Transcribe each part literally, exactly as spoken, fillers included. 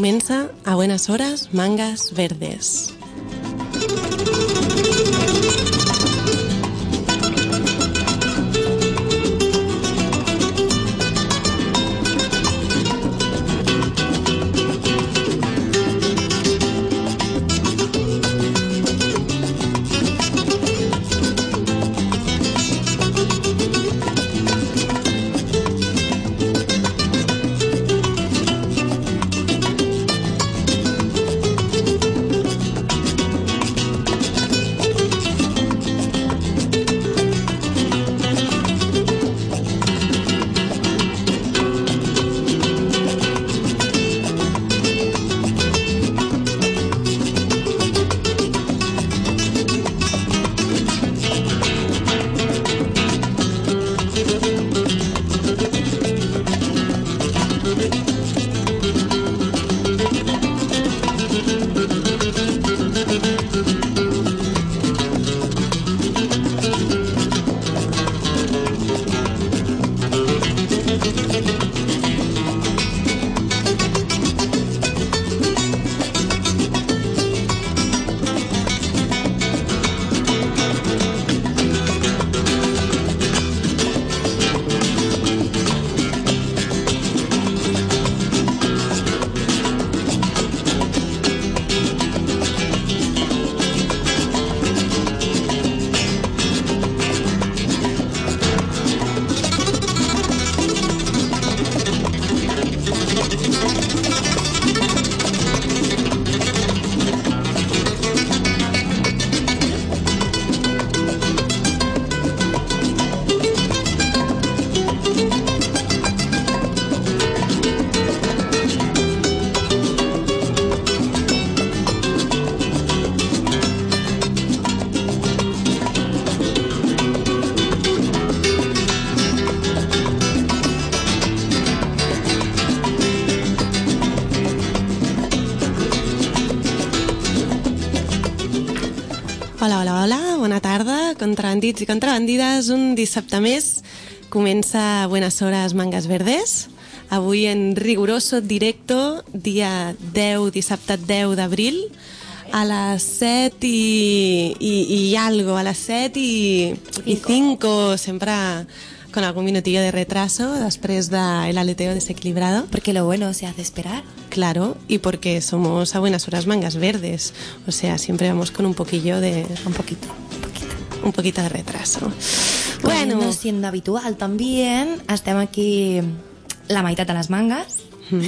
Comença A Buenas Horas, Mangas Verdes. Hola, hola, hola, bona tarda, contrabandits i contrabandides. Un dissabte més comença Buenas Horas Mangas Verdes. Avui en riguroso directo, dia deu, dissabte deu d'abril, a les set i, i, i algo, a les set i, i cinco, sempre con algún minutillo de retraso después del aleteo desequilibrado. Porque lo bueno se hace esperar. Claro, y porque somos A Buenas Horas Mangas Verdes. O sea, siempre vamos con un poquillo de... Un poquito, un poquito. Un poquito de retraso. Bueno, bueno, siendo habitual también, estem aquí la meitat de les mangas. Mm.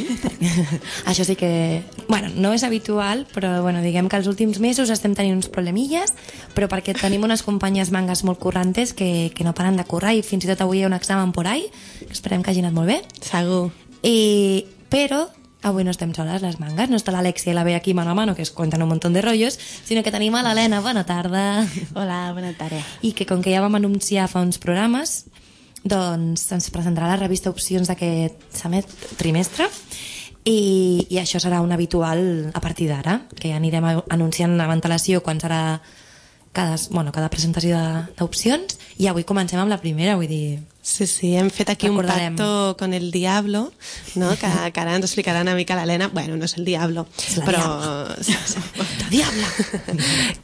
Això sí que... Bueno, no és habitual, però bueno, diguem que els últims mesos estem tenint uns problemilles, però perquè tenim unes companyes mangas molt currantes que, que no paren de currar, i fins i tot avui hi ha un examen por ahí, que esperem que hagi anat molt bé. Segur. I, però avui no estem soles les mangas, no està l'Alexia i la Bea aquí mano a mano, que es cuentan un montón de rollos, sinó que tenim a l'Helena. Bona tarda. Hola, bona tarda. I que com que ja vam anunciar fa uns programes, doncs ens presentarà la revista Opcions d'aquest trimestre, i, i això serà un habitual a partir d'ara, que ja anirem anunciant amb antelació quan serà cada, bueno, cada presentació d'opcions, i avui comencem amb la primera, vull dir... Sí, sí, hem fet aquí Recordarem. un pacto con el diablo, no? que, que ara ens explicarà una mica l'Helena. Bueno, no és el diablo, és la però... Diabla. Sí, sí. La diabla!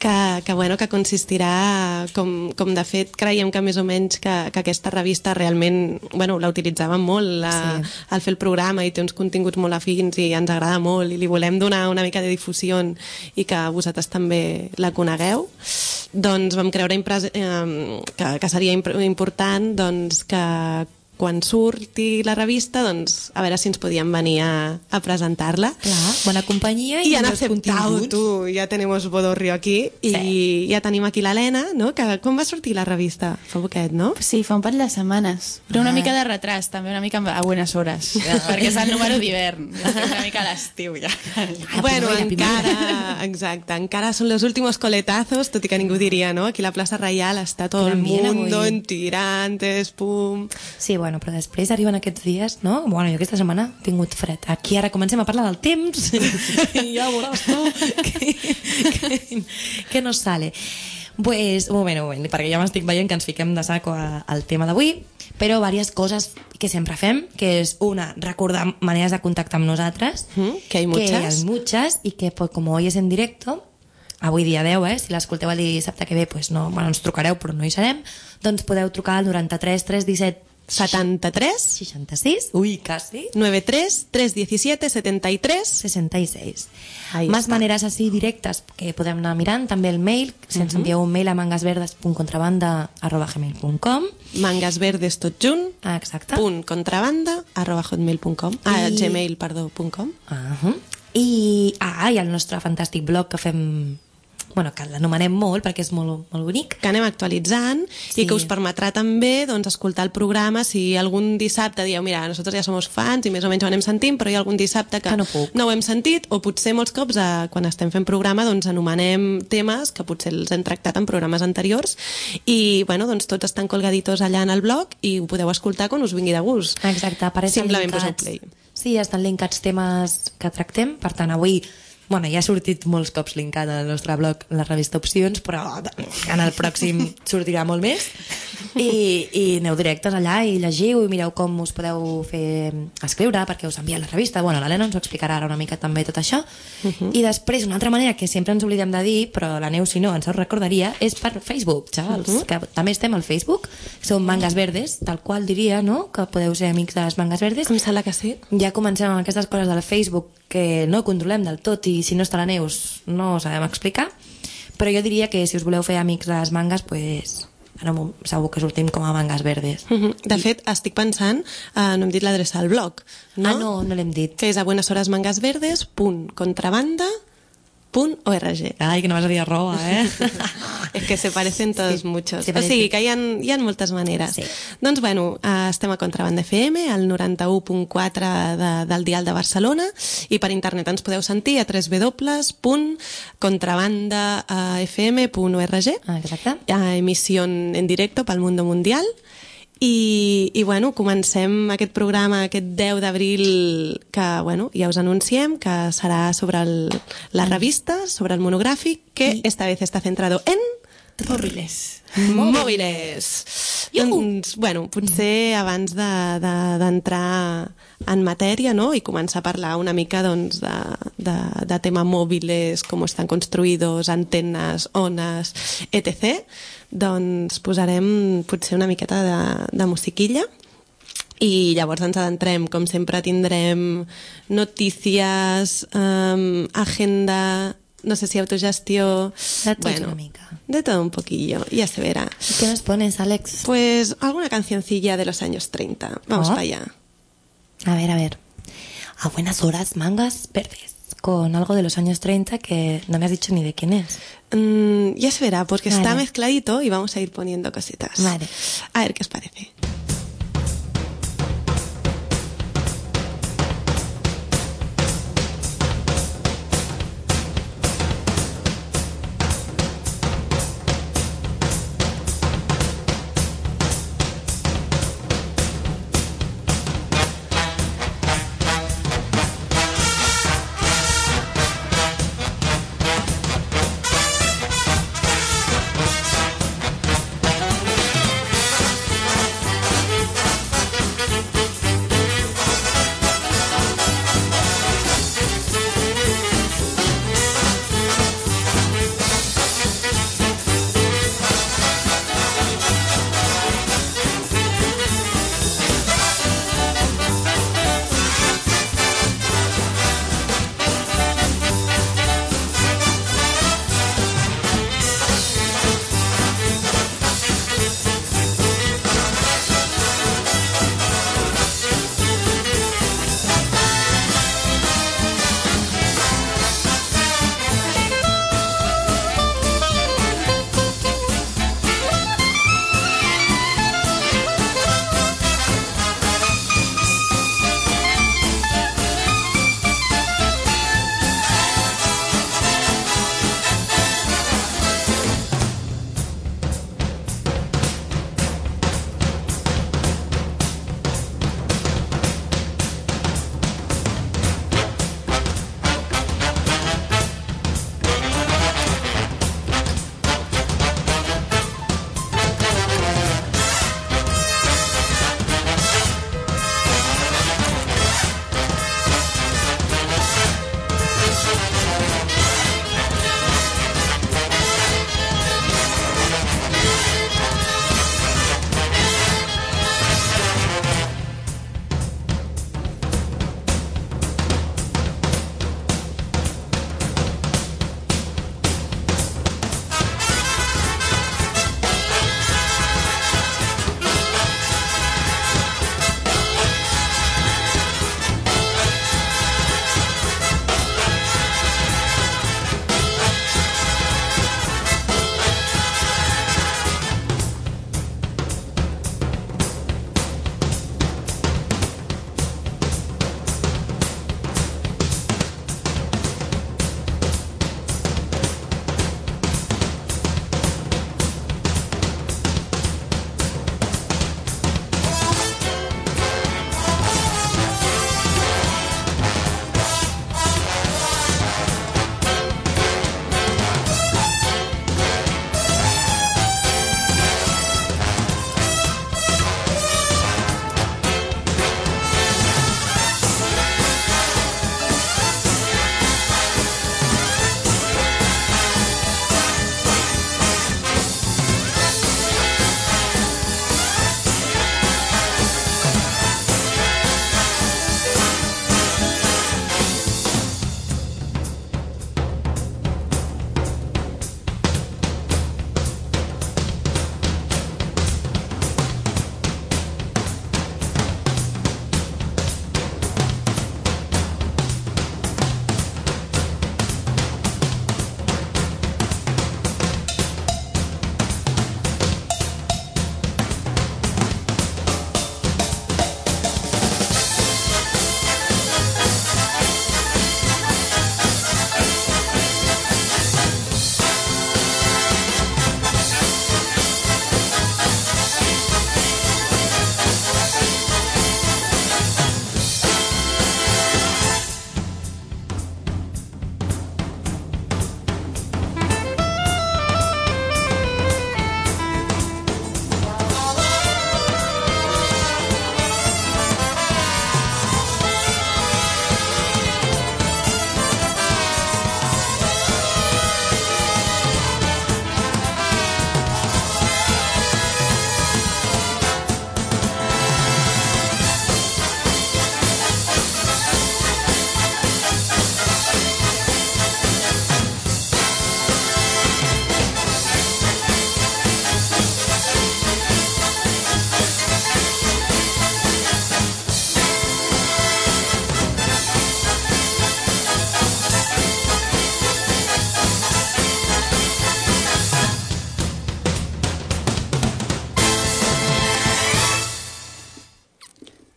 que, que, bueno, que consistirà, com, com de fet creiem que més o menys que, que aquesta revista realment, bueno, la utilitzàvem molt la, sí. al fer el programa, i té uns continguts molt afins i ens agrada molt, i li volem donar una mica de difusió i que vosaltres també la conegueu. Doncs vam creure impres... eh, que, que seria imp important doncs, que quan surti la revista, doncs, a veure si ens podíem venir a, a presentar-la. Clar, bona companyia i, I han aceptat, tu, ja tenemos bodorrio aquí, sí. I ja tenim aquí l'Helena, no? Que, com va sortir la revista? Fa poquet, no? Sí, fa un parell de setmanes, però una ah. mica de retras, també una mica a buenas horas, ja, perquè és el número d'hivern, una mica a l'estiu ja. Ah, bueno, encara, exacte, encara són los últimos coletazos, tot i que ningú diria, no? Aquí a la plaça Reial està tot el mundo en tirantes, pum... Sí, bueno, però després arriben aquests dies, no? Bueno, jo aquesta setmana he tingut fred. Aquí ara comencem a parlar del temps i ja veuràs tu que, que, que no sale. Pues, un moment, un moment, perquè ja m'estic veient que ens fiquem de saco a- al tema d'avui, però diverses coses que sempre fem, que és una, recordar maneres de contactar amb nosaltres, Mm, que hay muchas. que hay muchas, y que pues, como hoy es en directo, avui dia deu, eh? Si l'escolteu el dissabte que ve, pues no, bueno, ens trucareu, però no hi serem, doncs podeu trucar al noranta-tres tres disset setanta-tres seixanta-sis, ui, quasi, noventa y tres tres diecisiete setenta y tres. sesenta y seis. Ahí Más està. maneres així directes que podem anar mirant, també el mail, si ens envieu un mail a mangasverdes punt contrabanda arroba gmail punt com. Mangas verdes tot junt, Ah, exacte. punt contrabanda arroba hotmail punt com, ah, I- gmail, perdó, punt com. Uh -huh. I, ah, i el nostre fantàstic blog que fem, bueno, que l'anomenem molt perquè és molt, molt bonic. Que anem actualitzant Sí. i que us permetrà també doncs, escoltar el programa si algun dissabte dieu, mira, nosaltres ja som fans i més o menys ho anem sentint, però hi ha algun dissabte que, Que no puc. no ho hem sentit, o potser molts cops eh, quan estem fent programa doncs anomenem temes que potser els hem tractat en programes anteriors i bueno, doncs tots estan colgaditos allà en el blog i ho podeu escoltar quan us vingui de gust. Exacte, apareixen Simplement poseu linkats. play. Sí, estan linkats temes que tractem, per tant avui bueno, ja ha sortit molts cops linkat al nostre blog la revista Opcions, però en el pròxim sortirà molt més i, i aneu directes allà i llegiu i mireu com us podeu fer escriure perquè us envia la revista. Bueno, l'Helena ens ho explicarà ara una mica també tot això. Uh -huh. I després una altra manera que sempre ens oblidem de dir, però la Neus si no ens ho recordaria, és per Facebook, xavals, uh -huh. que també estem al Facebook, som Mangas Verdes, tal qual diria, no?, que podeu ser amics de les Mangas Verdes. Em sembla que sí. Ja comencem amb aquestes coses del Facebook que no controlem del tot i si no està la Neus no ho sabem explicar, però jo diria que si us voleu fer amics de les mangas, pues, no, segur que sortim com a Mangas Verdes. Uh -huh. De fet, estic pensant, eh, no hem dit l'adreça al blog, no? Ah, no, no l'hem dit. Que és a buenasorasmangasverdes punt contrabanda punt org. Ai, que no vas a dir arroba, eh? Es que se parecen todos Sí, muchos. se O parecen. sigui, que hi ha, hi ha moltes maneres. Sí. Doncs, bueno, eh, estem a Contrabanda F M, al noranta-u punt quatre de, del dial de Barcelona, i per internet ens podeu sentir a w w w punt contrabanda f m punt org. Ah, exacte. A emissió en directo pel mundo mundial. I, i bueno, comencem aquest programa aquest deu d'abril que bueno, ja us anunciem que serà sobre el, la revista, sobre el monogràfic, que esta vez està centrado en Móviles. mòbiles. Doncs, bueno, potser abans de- de- d'entrar de, en matèria, no?, i començar a parlar una mica doncs, de, de, de tema mòbiles, com estan construïdos, antenes, ones, etcètera, doncs posarem potser una miqueta de, de musiquilla i llavors ens adentrem. Com sempre tindrem notícies, um, agenda, no sé si autogestió... De tot una mica. De todo un poquillo, ya se verá. ¿Qué nos pones, Alex? Pues alguna cancioncilla de los años treinta. Vamos Oh. para allá. A ver, a ver. A buenas horas, Mangas Verdes. Con algo de los años treinta que no me has dicho ni de quién es. Mm, ya se verá, porque está Vale. mezcladito y vamos a ir poniendo cositas. Vale. A ver qué os parece.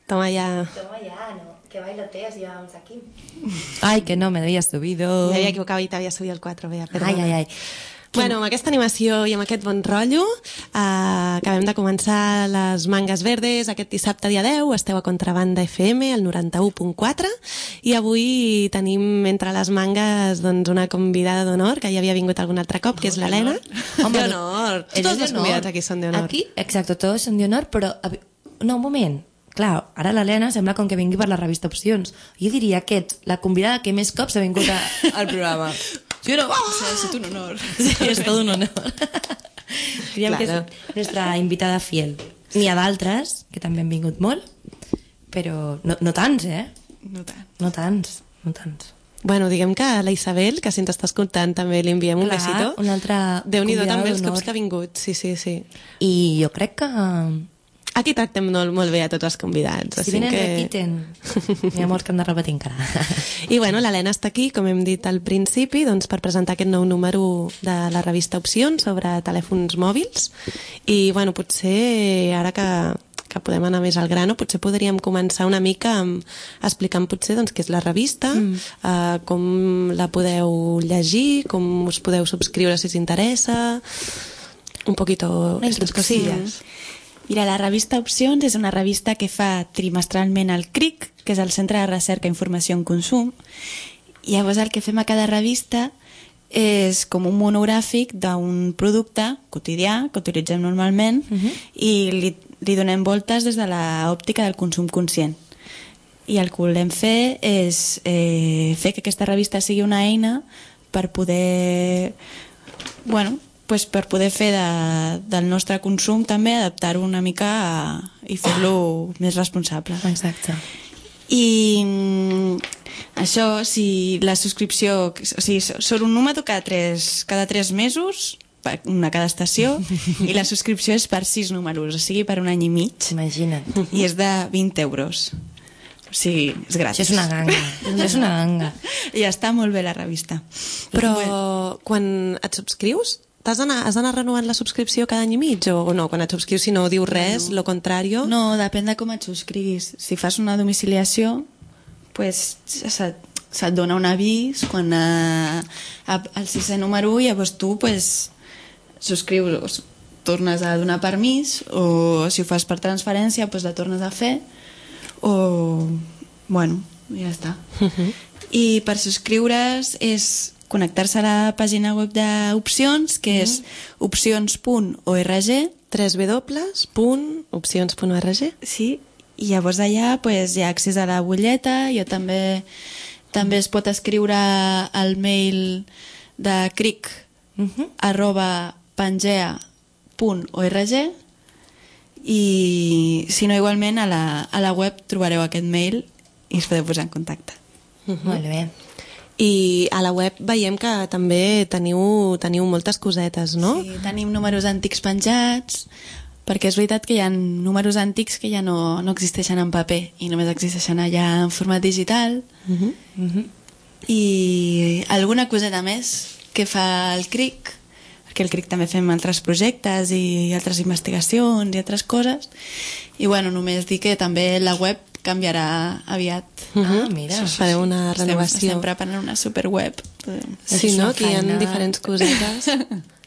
Toma ya. Toma ya, ¿no? ¿Qué bailoteos llevamos aquí? Ay, que no, me había subido. M'havia equivocat i t'havia subit el quatre, bé, perdona. Ai, ai, ai. Bueno, amb aquesta animació i amb aquest bon rotllo eh, acabem de començar les Mangues Verdes aquest dissabte dia deu. Esteu a Contrabanda F M, el noranta-u punt quatre, i avui tenim entre les mangues doncs, una convidada d'honor que ja havia vingut algun altre cop, que és l'Helena. Home, d'honor. Tots els convidats aquí són d'honor. Aquí, exacte, tots són d'honor, però... No, un moment. Clar, ara l'Helena sembla com que vingui per la revista Opcions. Jo diria que ets la convidada que més cops ha vingut a, al programa. Sí o no? Oh! O sea, es un honor. Sí, és tot un honor. Diríem Claro. que és nostra invitada fiel. N'hi ha d'altres, que també han vingut molt, però no, no tants, eh? No tant. No tants, no tants. Bueno, diguem que la Isabel, que si ens està escoltant també li enviem un Clar, besito. una altra Déu-n'hi-do convidada també els d'honor. cops que ha vingut, sí, sí, sí. I jo crec que... Aquí tractem molt, molt bé a tots els convidats. Si així venen, que... repiten. N'hi ha molts que han de repetir encara. I bueno, l'Helena està aquí, com hem dit al principi, doncs, per presentar aquest nou número de la revista Opcions sobre telèfons mòbils. I bueno, potser ara que, que podem anar més al grano, potser podríem començar una mica amb, explicant potser doncs, què és la revista, mm. eh, com la podeu llegir, com us podeu subscriure si us interessa, un poquito estas cosillas. Mira, la revista Opcions és una revista que fa trimestralment al C R I C, que és el Centre de Recerca, Informació en Consum, i llavors el que fem a cada revista és com un monogràfic d'un producte quotidià que utilitzem normalment uh -huh. i li, li donem voltes des de l'òptica del consum conscient. I el que volem fer és eh, fer que aquesta revista sigui una eina per poder... bueno, pues per poder fer de, del nostre consum també, adaptar-ho una mica a, i fer-lo més responsable. Exacte. I mm, això, si la subscripció... O sigui, surt un número cada tres, cada tres mesos, una cada estació, i la subscripció és per sis números, o sigui, per un any i mig. Imagina't. I és de vint euros. O sigui, és gratis. Això és una ganga. Això és una ganga. I està molt bé la revista. Però Bueno. quan et subscrius, T'has d'anar, has d'anar renovant la subscripció cada any i mig o, o no? Quan et subscrius, si no diu res, no. Lo contrario... No, depèn de com et subscriguis. Si fas una domiciliació, pues, se't, se't dona un avís quan a, a, al sisè número i llavors tu pues, subscrius, tornes a donar permís, o si ho fas per transferència, pues, la tornes a fer, o... bueno, ja està. Uh-huh. I per subscriure's és connectar-se a la pàgina web d'Opcions, que és opcions punt org. w w w punt opcions punt org. Sí, i llavors allà pues, hi ha accés a la butlleta. Jo també també es pot escriure al mail de cric Uh-huh. arroba pangea punt org, i si no, igualment a la, a la web trobareu aquest mail i us podeu posar en contacte. Uh-huh. Molt bé. I a la web veiem que també teniu, teniu moltes cosetes, no? Sí, tenim números antics penjats, perquè és veritat que hi ha números antics que ja no, no existeixen en paper i només existeixen allà en format digital. Uh-huh. Uh-huh. I alguna coseta més que fa el cric, perquè el cric també fem altres projectes i altres investigacions i altres coses, i bueno, només dir que també la web canviarà aviat. Ah, mira. Fareu una renovació. Estem, estem preparant una superweb. Sí, És no? una Aquí hi ha feina. diferents cosetes.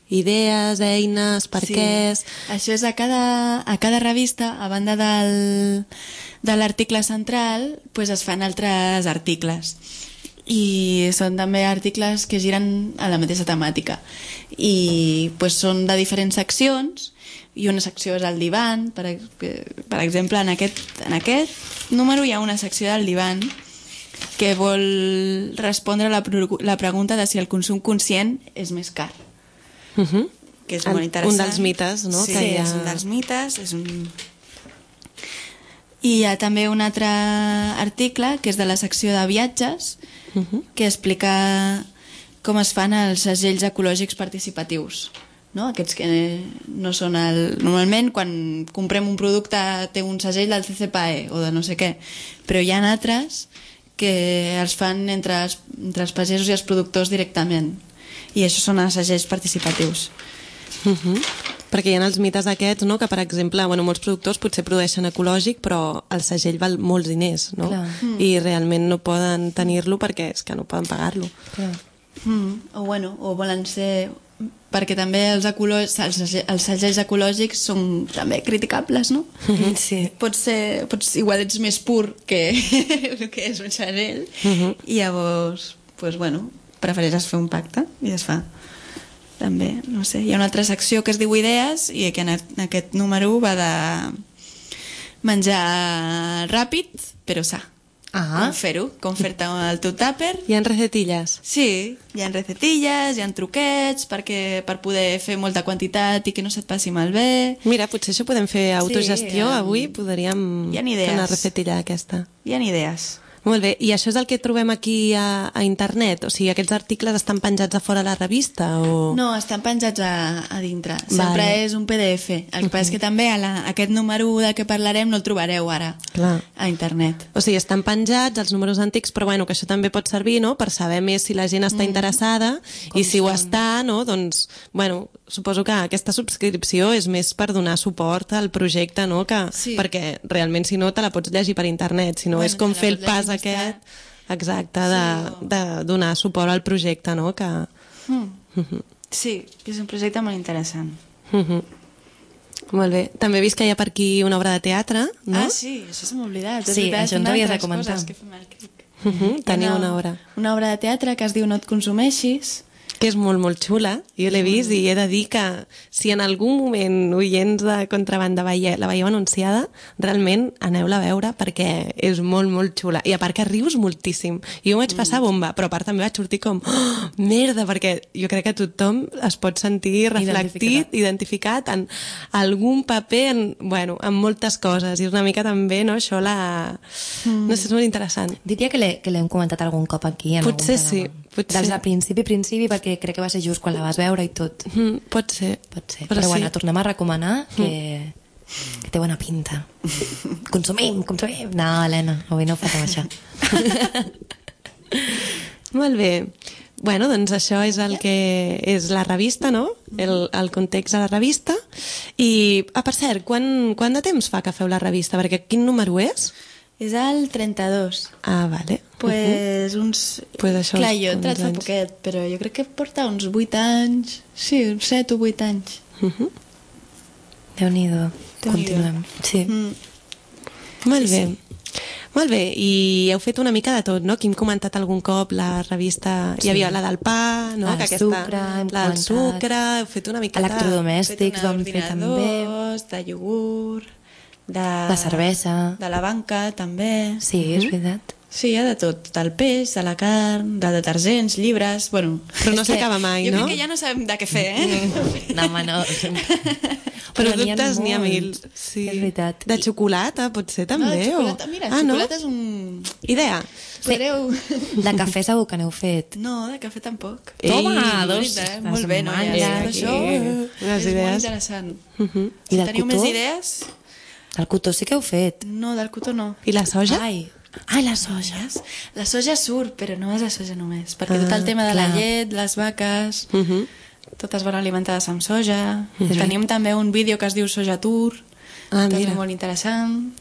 Idees, eines, per Sí. què... Això és a cada, a cada revista, a banda del, de l'article central, pues es fan altres articles. I són també articles que giren a la mateixa temàtica. I pues, són de diferents seccions, i una secció és el divan. Per, per exemple, en aquest, en aquest número hi ha una secció del divan que vol respondre a la, la pregunta de si el consum conscient és més car. Uh-huh. Que és molt interessant. Un dels mites, no? Sí, que hi ha... és un dels mites. És un... I hi ha també un altre article, que és de la secció de viatges, Uh-huh. que explica com es fan els segells ecològics participatius. No? Aquests que no són el... Normalment, quan comprem un producte, té un segell del C C P A E o de no sé què, però hi ha altres que els fan entre els, entre els pagesos i els productors directament. I això són els segells participatius. Uh-huh. Perquè hi ha els mites aquests, no?, que, per exemple, bueno, molts productors potser produeixen ecològic, però el segell val molts diners, no? Mm. I realment no poden tenir-lo perquè és que no poden pagar-lo. Mm. O, bueno, o volen ser... Perquè també els, ecològics, els, els segells ecològics són també criticables, no? Mm-hmm. Sí. Pots ser... Pots, igual ets més pur que el que és un segell, mm-hmm. i llavors, pues, bueno, prefereixes fer un pacte i es fa. També, no sé, hi ha una altra secció que es diu Idees i que en aquest número va de menjar ràpid però sa. Ah. Com fer-ho, com fer-te el teu tàper. Hi ha recetilles? Sí, hi ha recetilles, hi ha truquets perquè, per poder fer molta quantitat i que no se't passi malbé. Mira, potser això podem fer autogestió, sí, avui podríem fer una recetilla d'aquesta. Hi ha idees. Molt bé, i això és el que trobem aquí a, a internet? O sigui, aquests articles estan penjats a fora a la revista? O... No, estan penjats a, a dintre. Sempre vale. És un P D F. El que uh-huh. passa és que també a la, aquest número del que parlarem no el trobareu ara. Clar. A internet. O sigui, estan penjats els números antics, però bueno, que això també pot servir, no?, per saber més si la gent està mm. interessada, com i si són. Ho està, no?, doncs, bueno, suposo que aquesta subscripció és més per donar suport al projecte, no?, que, sí. perquè realment si no te la pots llegir per internet, si no bueno, és com fer el pas aquest, exacte, de, sí, o... de donar suport al projecte, no?, que... Mm. Uh-huh. Sí, que és un projecte molt interessant. Uh-huh. Molt bé. També he vist que hi ha per aquí una obra de teatre, no? Ah, sí, això se m'ha oblidat. Sí, això en t'havies de comentar. Uh-huh. Tenim una obra. Una obra de teatre que es diu No et consumeixis, que és molt, molt xula. Jo l'he vist mm. i he de dir que si en algun moment oients de Contrabanda veie, la veieu anunciada, realment aneu-la a veure perquè és molt, molt xula. I a part que rius moltíssim. Jo ho vaig passar bomba, però a part també vaig sortir com oh, merda, perquè jo crec que tothom es pot sentir reflectit, identificat, identificat en algun paper, en, bueno, en moltes coses. I és una mica també, no, això la... Mm. No sé, és molt interessant. Diria que l'hem comentat algun cop aquí. En potser sí. Potser. Des del principi, principi, perquè crec que va ser just quan la vas veure i tot. Mm, pot ser. Pot ser. Però, Però sí. Bueno, tornem a recomanar que, mm. que té bona pinta. Consumim, consumim. No, Helena, avui no ho fas amb això. Molt bé. Bueno, doncs això és el que és la revista, no? El, el context de la revista. I, ah, per cert, quan, quant de temps fa que feu la revista? Perquè quin número és? És el trenta-dos. Ah, vale. Pues uh-huh. uns... Pues això, clar, jo he entrat fa poquet, però jo crec que porta uns vuit anys. Sí, uns set o vuit anys. Uh-huh. Déu-n'hi-do. Continuem. Sí. Mm. Molt bé. Sí. Molt bé, i heu fet una mica de tot, no? Aquí hem comentat algun cop la revista... Sí. Hi havia la del pa, no? El que aquesta, sucre, hem la del sucre, heu fet una mica... Electrodomèstics vam fer també. De iogurt... De, la cervesa, de la banca també. Sí, és veritat. Sí, hi ha de tot, del peix, de la carn, de detergents, llibres, bueno... Però no s'acaba mai, jo no? Jo crec que ja no sabem de què fer, eh? No, home, no. Però dubtes n'hi ha mil. Sí. És veritat. De xocolata, potser també? No, de xocolata, o... mira, ah, xocolata no? És un... Idea. Podreu... De cafè segur que n'heu fet. No, de cafè tampoc. Toma, Ei, dos. Eh? Molt bé, no? Ja, això és molt interessant. Uh-huh. Si teniu més idees... Del cotó sí que heu fet. No, del cotó no. I la soja? Ai, Ai les soges. La soja surt, però no és la soja només, perquè ah, tot el tema de clar. La llet, les vaques, uh -huh. totes van alimentades amb soja. Uh -huh. Tenim també un vídeo que es diu Soja Tour, ah, també mira. Molt interessant.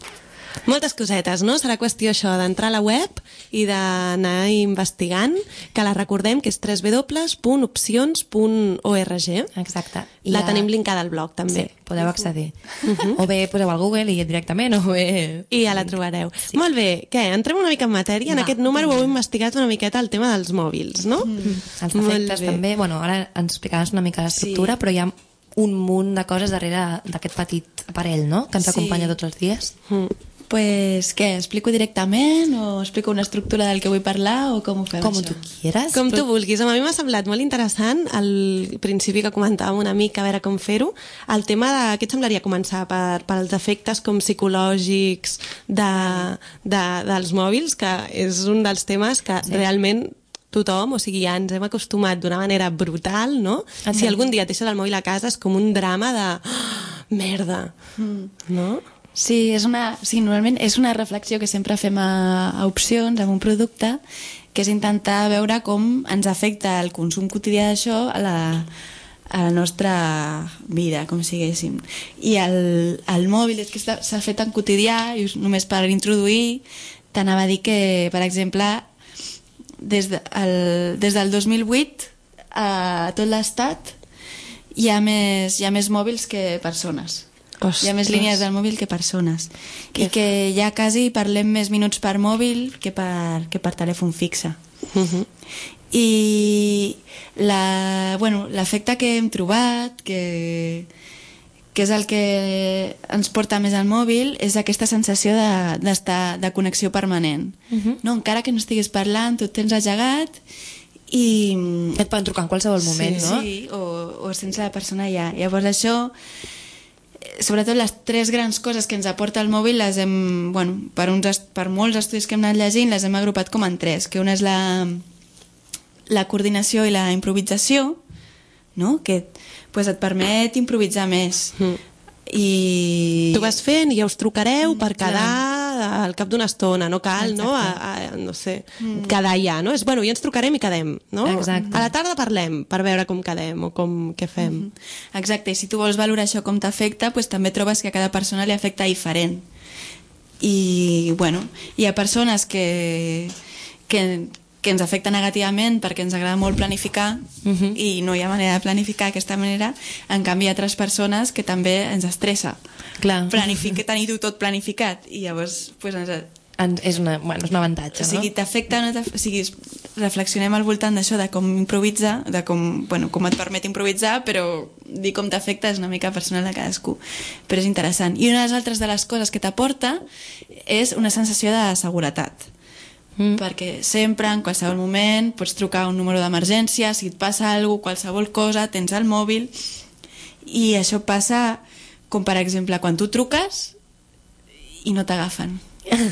Moltes cosetes, no? Serà qüestió això d'entrar a la web i d'anar investigant, que la recordem que és w w w punt opcions punt org. Exacte. I la ja... tenim linkada al blog, també. Sí, podeu accedir. Uh -huh. O bé poseu al Google i directament, o bé... I ja la trobareu. Sí. Molt bé, què? Entrem una mica en matèria. En Va. Aquest número heu investigat una miqueta el tema dels mòbils, no? Mm. Els efectes també. Bueno, ara ens explicaràs una mica l'estructura, sí. Però hi ha un munt de coses darrere d'aquest petit aparell, no?, que ens sí. acompanya tots els dies. Mm. Pues, què, explico directament o explico una estructura del que vull parlar o com ho fem, com això? Tu quieras. Com tu vulguis. A mi m'ha semblat molt interessant al principi que comentàvem una mica a veure com fer-ho, el tema de, què et semblaria començar per, per els efectes com psicològics de, de, dels mòbils, que és un dels temes que sí. realment tothom, o sigui, ja ens hem acostumat d'una manera brutal, no? Okay. Si algun dia et deixes el mòbil a casa és com un drama de oh, merda, mm. no? Sí, és una, sí, normalment és una reflexió que sempre fem a, a opcions, amb un producte, que és intentar veure com ens afecta el consum quotidià d'això a la, a la nostra vida, com siguéssim. I el, el mòbil és que s'ha fet tan quotidià, i només per introduir, t'anava a dir que, per exemple, des, de, el, des del dos mil vuit a tot l'estat hi ha més, hi ha més mòbils que persones. Ostres. Hi ha més línies del mòbil que persones. Que... I que ja quasi parlem més minuts per mòbil que per, que per telèfon fixe. Uh-huh. I la, bueno, l'efecte que hem trobat, que, que és el que ens porta més al mòbil, és aquesta sensació de, d'estar, de connexió permanent. Uh-huh. No? Encara que no estiguis parlant, tu et tens ajagat i... Et poden trucar en qualsevol moment, sí, no? Sí, o, o sense la persona allà. Llavors això, sobretot les tres grans coses que ens aporta el mòbil, les hem, bueno, per, uns, per molts estudis que hem anat llegint, les hem agrupat com en tres, que una és la, la coordinació i la improvisació, no? Que pues, et permet improvisar més. Mm. I... Tu vas fent i ja us trucareu per quedar al cap d'una estona, no cal, no? A, a, no sé, mm. quedar ja, no? És, bueno, ja ens trucarem i quedem, no? Exacte. A la tarda parlem per veure com quedem o com, què fem. Mm -hmm. Exacte, i si tu vols valorar això com t'afecta, pues, també trobes que a cada persona li afecta diferent. I, bueno, hi ha persones que... que que ens afecta negativament perquè ens agrada molt planificar uh-huh. i no hi ha manera de planificar d'aquesta manera. En canvi hi ha altres persones que també ens estressa. Clar. Planificar, tenir-ho tot planificat i llavors pues, ens... En, és, una, bueno, és un avantatge, no? O sigui, t'afecta, no o sigui, reflexionem al voltant d'això, de com improvisar, de com, bueno, com et permet improvisar, però dir com t'afecta és una mica personal de cadascú. Però és interessant. I una de les altres de les coses que t'aporta és una sensació de seguretat. Mm. Perquè sempre, en qualsevol moment, pots trucar a un número d'emergència, si et passa alguna cosa, qualsevol cosa, tens el mòbil, i això passa com, per exemple, quan tu truques i no t'agafen.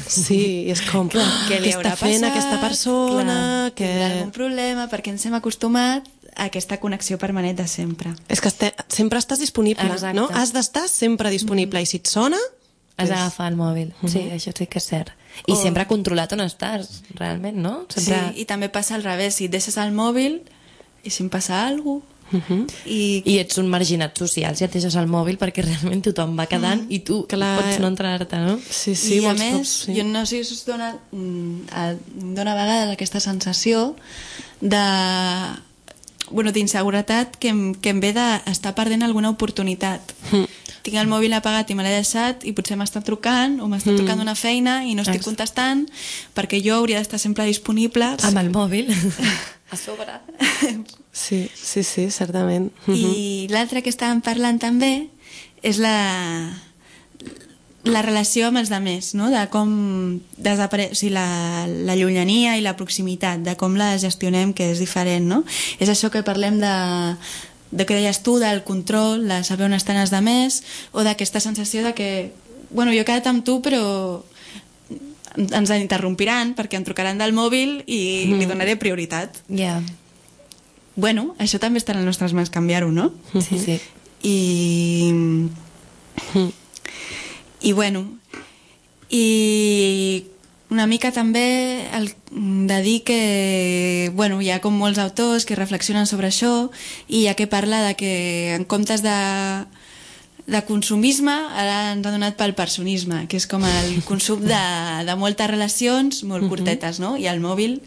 Sí, és com, clar, què li haurà fent passat, aquesta persona, clar, que... tindrà algun problema, perquè ens hem acostumat a aquesta connexió permanent de sempre. És que este, sempre estàs disponible, exacte. No? Has d'estar sempre disponible, mm. i si et sona... Has d'agafar el mòbil, uh-huh. Sí, això sí que és cert. I oh. sempre controlat on estàs, realment, no? Sempre... Sí, i també passa al revés, si et deixes el mòbil i si em passa alguna cosa... Uh-huh. I... I ets un marginat social si et deixes el mòbil perquè realment tothom va quedant uh-huh. i tu clar, pots no entrar-te, no? Sí, sí, i a més, cops, sí. Jo no sé si us dona, dona a vegades aquesta sensació de... Bueno, d'inseguretat que em, que em ve d'estar perdent alguna oportunitat. Mm. Tinc el mòbil apagat i me l'he deixat i potser m'està trucant o m'està mm. trucant d'una feina i no estic contestant perquè jo hauria d'estar sempre disponible. Amb el mòbil. A sobre. Sí, sí, sí, certament. I l'altre que estàvem parlant també és la... la relació amb els altres, no? De com desapare... o sigui, la, la llunyania i la proximitat, de com la gestionem, que és diferent, no? És això que parlem de, de que deies tu, del control, de saber on estan els altres, o d'aquesta sensació de que, bueno, jo he quedat amb tu, però ens interrompiran perquè em trucaran del mòbil i mm. li donaré prioritat. Ja. Yeah. Bueno, això també està en les nostres mans canviar-ho, no? Sí, sí. I... I bueno, i una mica també el, de dir que bueno, hi ha com molts autors que reflexionen sobre això i hi ha que parla de que en comptes de, de consumisme ara ens ha donat pel personisme, que és com el consum de, de moltes relacions molt curtetes, no? I el mòbil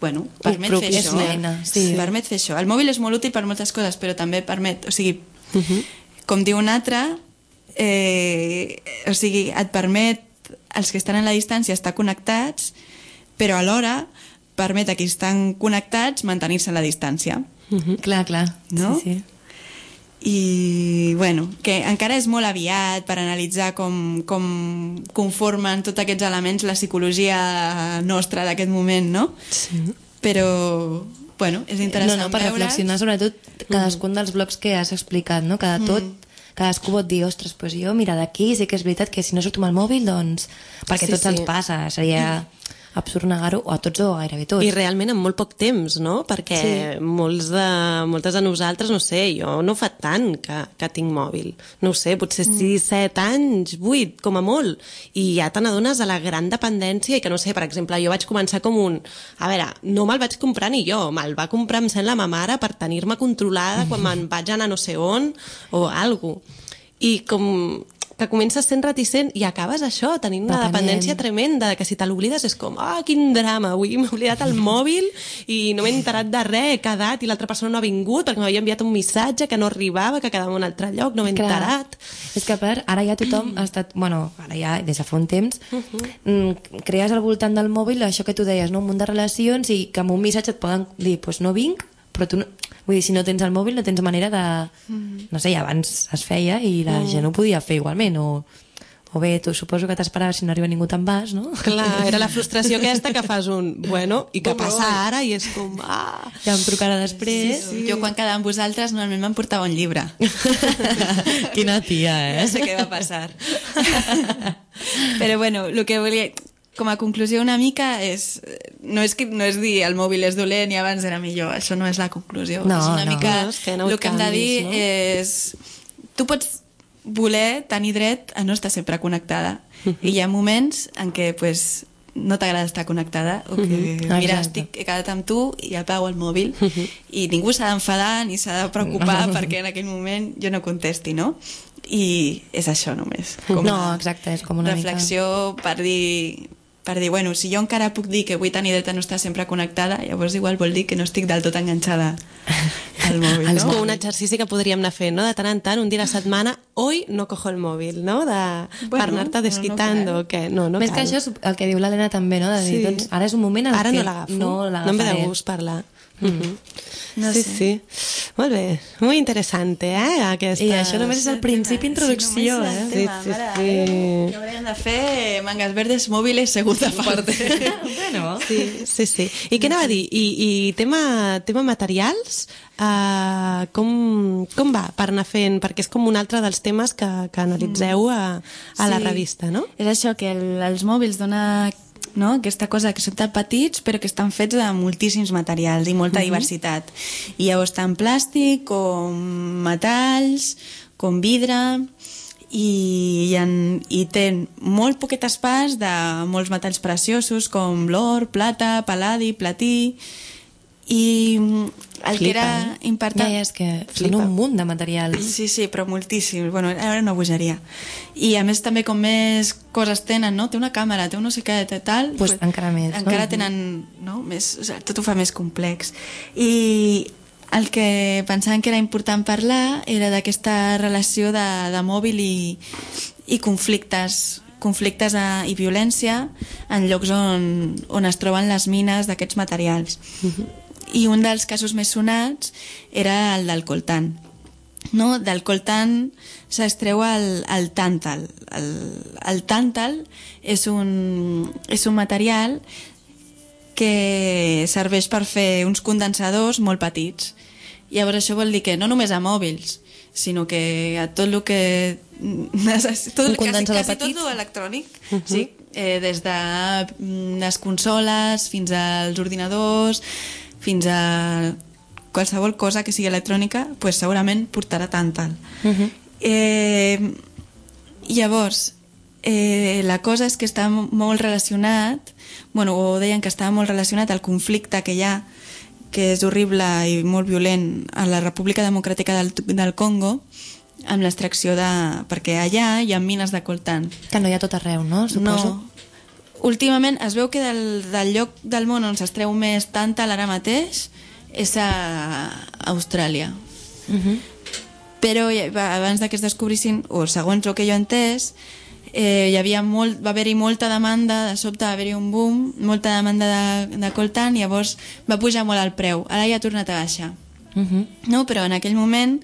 bueno, permet fer això. Nena, sí. Permet fer això. El mòbil és molt útil per moltes coses, però també permet, o sigui, uh-huh. com diu un altre, Eh, o sigui, et permet els que estan a la distància estar connectats, però alhora permet a qui estan connectats mantenir-se a la distància. Uh-huh. Clar, clar. No? Sí, sí. I, bueno, que encara és molt aviat per analitzar com, com conformen tots aquests elements la psicologia nostra d'aquest moment, no? Sí. Però... bueno, és interessant no, no, per veure... reflexionar sobretot cadascun mm. dels blocs que has explicat, no? Cada tot mm. cadascú pot dir, ostres, doncs jo, mira, d'aquí sí que és veritat que si no surto amb el mòbil, doncs... perquè sí, tots sí. ens passa, seria absurd negar-ho, o a tots o gairebé tots. I realment en molt poc temps, no? Perquè sí. molts de, moltes de nosaltres, no sé, jo no fa tant que, que tinc mòbil. No ho sé, potser sis, set anys, vuit, com a molt. I ja te n'adones de la gran dependència i que, no sé, per exemple, jo vaig començar com un... A veure, no me'l vaig comprar ni jo, me'l va comprar, em sembla, ma mare per tenir-me controlada quan me'n vaig anar no sé on o alguna cosa. I com que comences sent reticent i acabes això, tenint una dependència tremenda, que si te l'oblides és com, ah, quin drama, avui m'he oblidat el mòbil i no m'he enterat de res, he quedat i l'altra persona no ha vingut perquè m'havia enviat un missatge que no arribava, que quedava en un altre lloc, no m'he enterat. És que a part, ara ja tothom ha estat, bueno, ara ja des de fa un temps, uh-huh. crees al voltant del mòbil això que tu deies, no? Un munt de relacions i que amb un missatge et poden dir, doncs pues no vinc, però tu no... Vull dir, si no tens el mòbil no tens manera de... No sé, abans es feia i la gent ho podia fer igualment, o, o bé, tu suposo que t'esperaves si no arriba ningú te'n vas, no? Clar, era la frustració aquesta que fas un... Bueno, i què passa ara? I és com... Ah, ja em trucarà després. Sí, sí. Jo quan quedava amb vosaltres normalment m'emportava un llibre. Quina tia, eh? No sé què va passar. Però bueno, el que volia... Com a conclusió una mica és no és, que, no és dir el mòbil és dolent i abans era millor, això no és la conclusió. No, és una no. mica no, és que no el que hem de dir no? és tu pots voler tenir dret a no estar sempre connectada uh-huh. i hi ha moments en què pues, no t'agrada estar connectada o que uh-huh. mira, estic, he quedat amb tu i apago el mòbil uh-huh. i ningú s'ha d'enfadar ni s'ha de preocupar uh-huh. perquè en aquell moment jo no contesti, no? I és això només. Com no, exacte, és com una reflexió mica... per dir per dir, bueno, si jo encara puc dir que vull tenir dret a no estar sempre connectada, llavors igual vol dir que no estic del tot enganxada al mòbil, no? És com un exercici que podríem anar fent, no? De tant en tant, un dia a la setmana, hoy no cojo el mòbil, no? De, bueno, per anar-te desquitando, no, no que no, no Més cal. que això, el que diu l'Helena també, no? De dir, sí. doncs, ara és un moment en ara què no l'agafo, no no l'agafaré. em ve de gust parlar. Mm-hmm. No sí, sé. sí. Molt bé. Muy interesante, eh? Aquesta... I això només és el principi, introducció, sí, eh? Sí, sí, sí. Què hauríem de fer? Mangas verdes, mòbiles, segunda parte. Bueno. Sí, sí, sí. I què anava a dir? I, i tema, tema materials, uh, com, com va per anar fent? Perquè és com un altre dels temes que, que analitzeu a, a sí. la revista, no? És això, que el, els mòbils dona... No? Aquesta cosa que són tan petits però que estan fets de moltíssims materials i molta uh-huh. diversitat, i llavors tant plàstic com metalls com vidre i, i, en, i té molt poquet espàs de molts metalls preciosos com l'or, plata, pal·ladi, platí, i el Flipa, que era eh? important... Ja, és que Flipa. són un munt de materials. Sí, sí, però moltíssims. Bueno, ara una bogeria. I a més també com més coses tenen, no? Té una càmera, té un no sé què, té tal... Pues, pues encara més, encara no? tenen, no? Més, o sigui, tot ho fa més complex. I el que pensàvem que era important parlar era d'aquesta relació de, de mòbil i, i conflictes conflictes a, i violència en llocs on, on es troben les mines d'aquests materials. Uh-huh. I un dels casos més sonats era el del coltan. No? Del coltan s'extreu el, el tàntal. El, el tàntal és un, és un material que serveix per fer uns condensadors molt petits. Llavors això vol dir que no només a mòbils, sinó que a tot el que... Tot, un condensador quasi, quasi petit? tot l'electrònic, uh-huh. sí, eh, des de les consoles fins als ordinadors, fins a qualsevol cosa que sigui electrònica, pues segurament portarà tàntal. Uh-huh. Eh, llavors, eh, la cosa és que està molt relacionat, bueno, o deien que estava molt relacionat al conflicte que hi ha, que és horrible i molt violent a la República Democràtica del, del Congo, amb l'extracció de... perquè allà hi ha mines de coltan. Que no hi ha tot arreu, no? Suposo. No. Últimament es veu que del, del lloc del món on s'extreu més tàntal ara mateix és a Austràlia. Uh-huh. Però abans que es descobrissin, o segons el que jo he entès, eh, hi havia molt, va haver-hi molta demanda, de sobte va haver-hi un boom, molta demanda de, de coltan, i llavors va pujar molt el preu. Ara ja ha tornat a baixar. Uh-huh. No? Però en aquell moment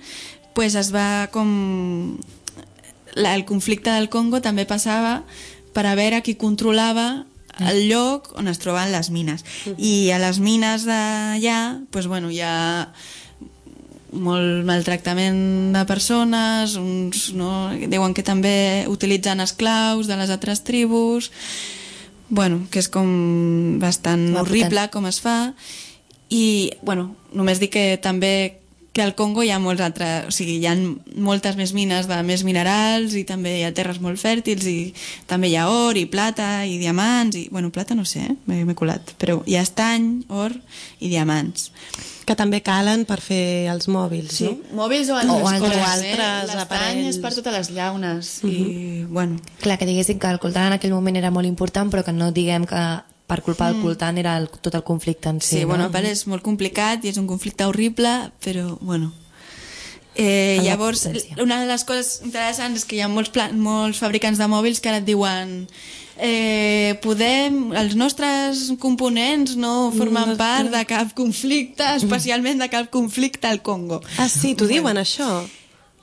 pues, es va com... La, el conflicte del Congo també passava per a veure qui controlava el lloc on es troben les mines. Uh-huh. I a les mines d'allà pues, bueno, hi ha molt maltractament de persones, uns, no, diuen que també utilitzen esclaus de les altres tribus, bueno, que és com bastant Va horrible potent. com es fa, i bueno, només dic que també que al Congo hi ha molts altres, o sigui, hi ha moltes més mines de més minerals i també hi ha terres molt fèrtils i també hi ha or i plata i diamants i, bueno, plata no sé, eh? m'he colat, però hi ha estany, or i diamants. Que també calen per fer els mòbils, Sí, no? mòbils o altres, O altres, coses, eh? altres L'estany aparells. és per totes les llaunes uh -huh. i, bueno... Clar, que diguéssim que el coltan en aquell moment era molt important, però que no diguem que per culpa del coltan era el, tot el conflicte en si. Sí, no? bueno, a part és molt complicat i és un conflicte horrible, però, bueno... Eh, En la llavors, potència. una de les coses interessants és que hi ha molts, pla molts fabricants de mòbils que ara et diuen eh, podem, els nostres components no formen part de cap conflicte, especialment de cap conflicte al Congo. Ah, sí, t'ho diuen, això?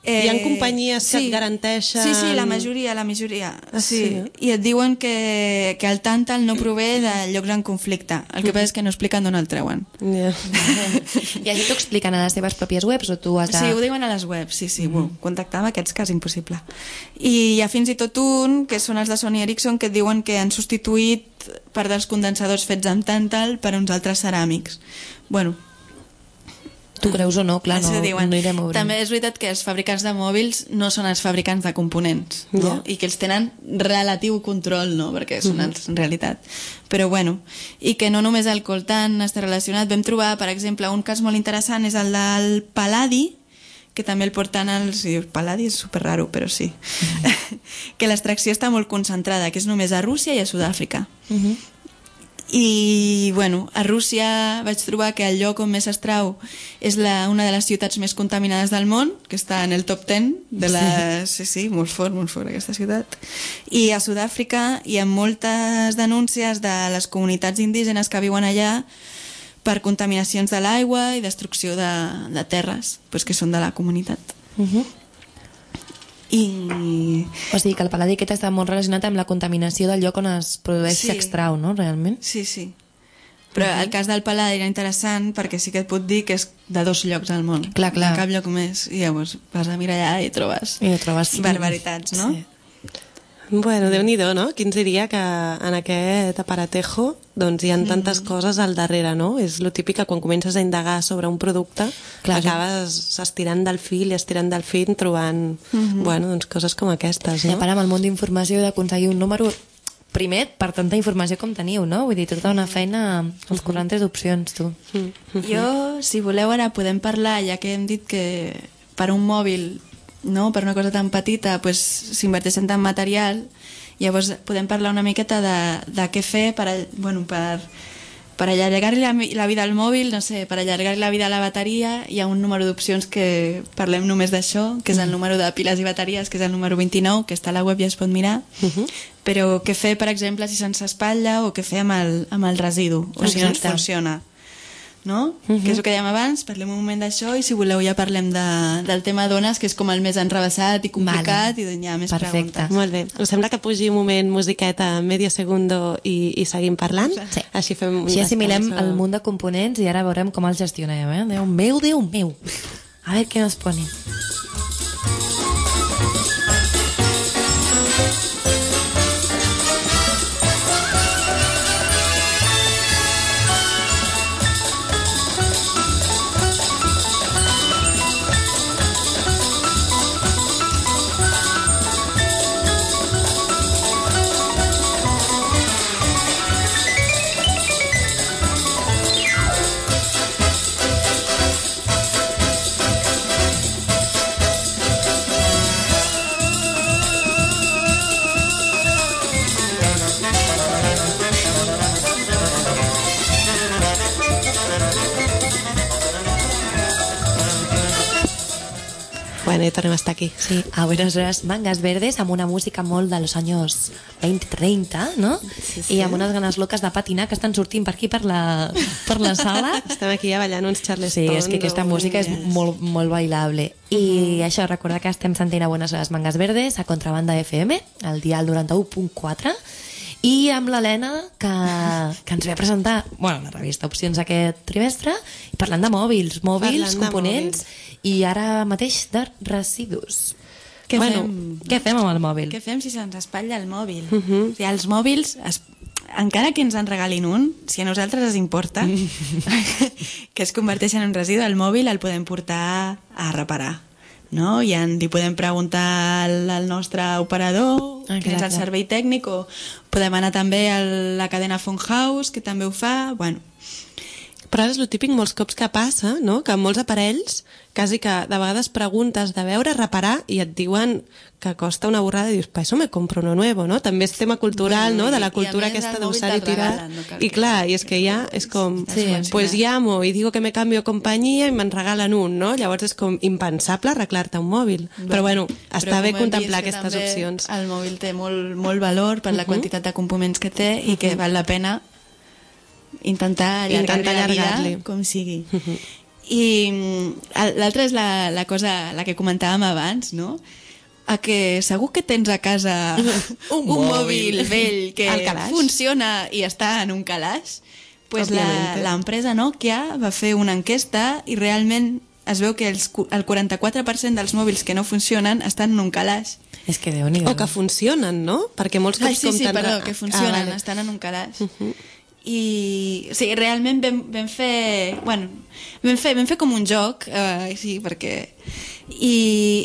Hi ha companyies que et garanteixen... Sí, sí, la majoria, la majoria. Ah, sí. sí? I et diuen que, que el tàntal no prové de llocs en conflicte. El que passa és que no expliquen d'on el treuen. Yeah. I això t'ho expliquen a les teves pròpies webs o tu has de... Sí, ho diuen a les webs, sí, sí. Mm -hmm. Contactar amb aquests cas impossible. I hi ha fins i tot un, que són els de Sony Ericsson, que et diuen que han substituït part dels condensadors fets amb tàntal per uns altres ceràmics. Bueno, Tu creus o no, clar, no, això diuen. no irem obrint. També és veritat que els fabricants de mòbils no són els fabricants de components, no? Ja. I que els tenen relatiu control, no? Perquè són els en realitat. Però bueno, i que no només el coltan està relacionat. Vam trobar, per exemple, un cas molt interessant és el del pal·ladi, que també el porten els... El pal·ladi és super raro, però sí. Que l'extracció està molt concentrada, que és només a Rússia i a Sud-àfrica. Uh -huh. I, bueno, a Rússia vaig trobar que el lloc on més s'extrau és la, una de les ciutats més contaminades del món, que està en el top ten de les... Sí, sí, molt fort, molt fort aquesta ciutat. I a Sud-àfrica hi ha moltes denúncies de les comunitats indígenes que viuen allà per contaminacions de l'aigua i destrucció de, de terres, pues, que són de la comunitat. Uh -huh. I... O sigui que el pal·ladi aquest està molt relacionat amb la contaminació del lloc on es produeix i Sí. s'extrau, no? Realment. Sí, sí. Però uh -huh. el cas del pal·ladi era interessant perquè sí que et puc dir que és de dos llocs al món. Clar, clar. De cap lloc més. I llavors vas a mirar allà i trobes, I ho trobes... barbaritats, no? Sí. Bueno, Déu-n'hi-do, no? Qui ens diria que en aquest aparatejo doncs hi ha tantes coses al darrere, no? És lo típic que quan comences a indagar sobre un producte Clar, acabes estirant del fil i estirant del fil trobant bueno, doncs coses com aquestes, I a no? part amb el món d'informació d'aconseguir un número primer per tanta informació com teniu, no? Vull dir, tota una feina als quaranta d'opcions, tu. Jo, si voleu, ara podem parlar, ja que hem dit que per un mòbil, no, per una cosa tan petita, pues, s'inverteixen tant material, llavors podem parlar una miqueta de, de què fer per, a- bueno, per, per allargar la, la vida al mòbil, no sé, per allargar la vida a la bateria. Hi ha un número d'opcions que parlem només d'això, que és el número de piles i bateries, que és el número vint-i-nou, que està a la web i es pot mirar. Però què fer, per exemple, si se'ns espatlla, o què fer amb el, amb el residu, o si no ens Exacte. funciona, no? Que és el que dèiem abans, parlem un moment d'això i si voleu ja parlem de, del tema dones, que és com el més enrevessat i complicat, Vale. i doncs hi ha més Perfecte. preguntes. Molt bé. Us sembla que pugi un moment musiqueta medio segundo i, i seguim parlant? Sí. Així fem un Així assimilem descans, el o- munt de components i ara veurem com els gestionem, eh? Déu meu, Déu meu. A veure què nos ponen. Bueno, i tornem a estar aquí. Sí, a Buenos Aires, Mangas Verdes, amb una música molt de los años veinte treinta, no? Sí, sí. I amb unes ganes loques de patinar que estan sortint per aquí, per la, per la sala. Estem aquí ja ballant uns Charleston. Sí, és que aquesta o- música és molt, molt bailable. I això, recordar que estem sentint a Buenos Aires Mangas Verdes a Contrabanda F M, al dial noranta-u punt quatre, i amb l'Helena, que, que ens ve a presentar bueno, la revista Opcions aquest trimestre, i parlant de mòbils, mòbils, Parlant de components, i ara mateix de residus. Què bueno, fem? Què fem amb el mòbil? Què fem si se'ns espatlla el mòbil? Uh -huh. O sigui, els mòbils es, encara que ens en regalin un, si a nosaltres ens importa que es converteixi en un residu, el mòbil el podem portar a reparar, no? I en, li podem preguntar al, al nostre operador, ah, que és el servei tècnic, o podem anar també a la cadena Phone House, que també ho fa, bueno. Però és el típic molts cops que passa, no? Que molts aparells, quasi que de vegades preguntes de veure, reparar, i et diuen que costa una borrada i dius, pa, eso me compro uno nuevo, no? També és tema cultural, bueno, no? De la cultura aquesta d'usar i tirar. No, I clar, i és que ja és com, sí, pues llamo i digo que me cambio companyia i me'n regalen un, no? Llavors és com impensable arreglar-te un mòbil. Bueno, però bueno, està bé contemplar aquestes opcions. El mòbil té molt, molt valor per la quantitat de components que té i que val la pena intentar allargar-li la vida com sigui. Uh-huh. I l'altra és la, la cosa, la que comentàvem abans, no? A que segur que tens a casa un, un mòbil vell que funciona i està en un calaix. Pues l'empresa Nokia va fer una enquesta i realment es veu que els, el quaranta-quatre per cent dels mòbils que no funcionen estan en un calaix. És que Déu-n'hi-do. O que funcionen, no? Perquè molts cops ah, sí, sí, compten... perdó, que funcionen, ah, vale. Estan en un calaix. Uh-huh. I o sigui, realment vam, vam fer bueno, vam fer, vam fer com un joc eh, sí, perquè i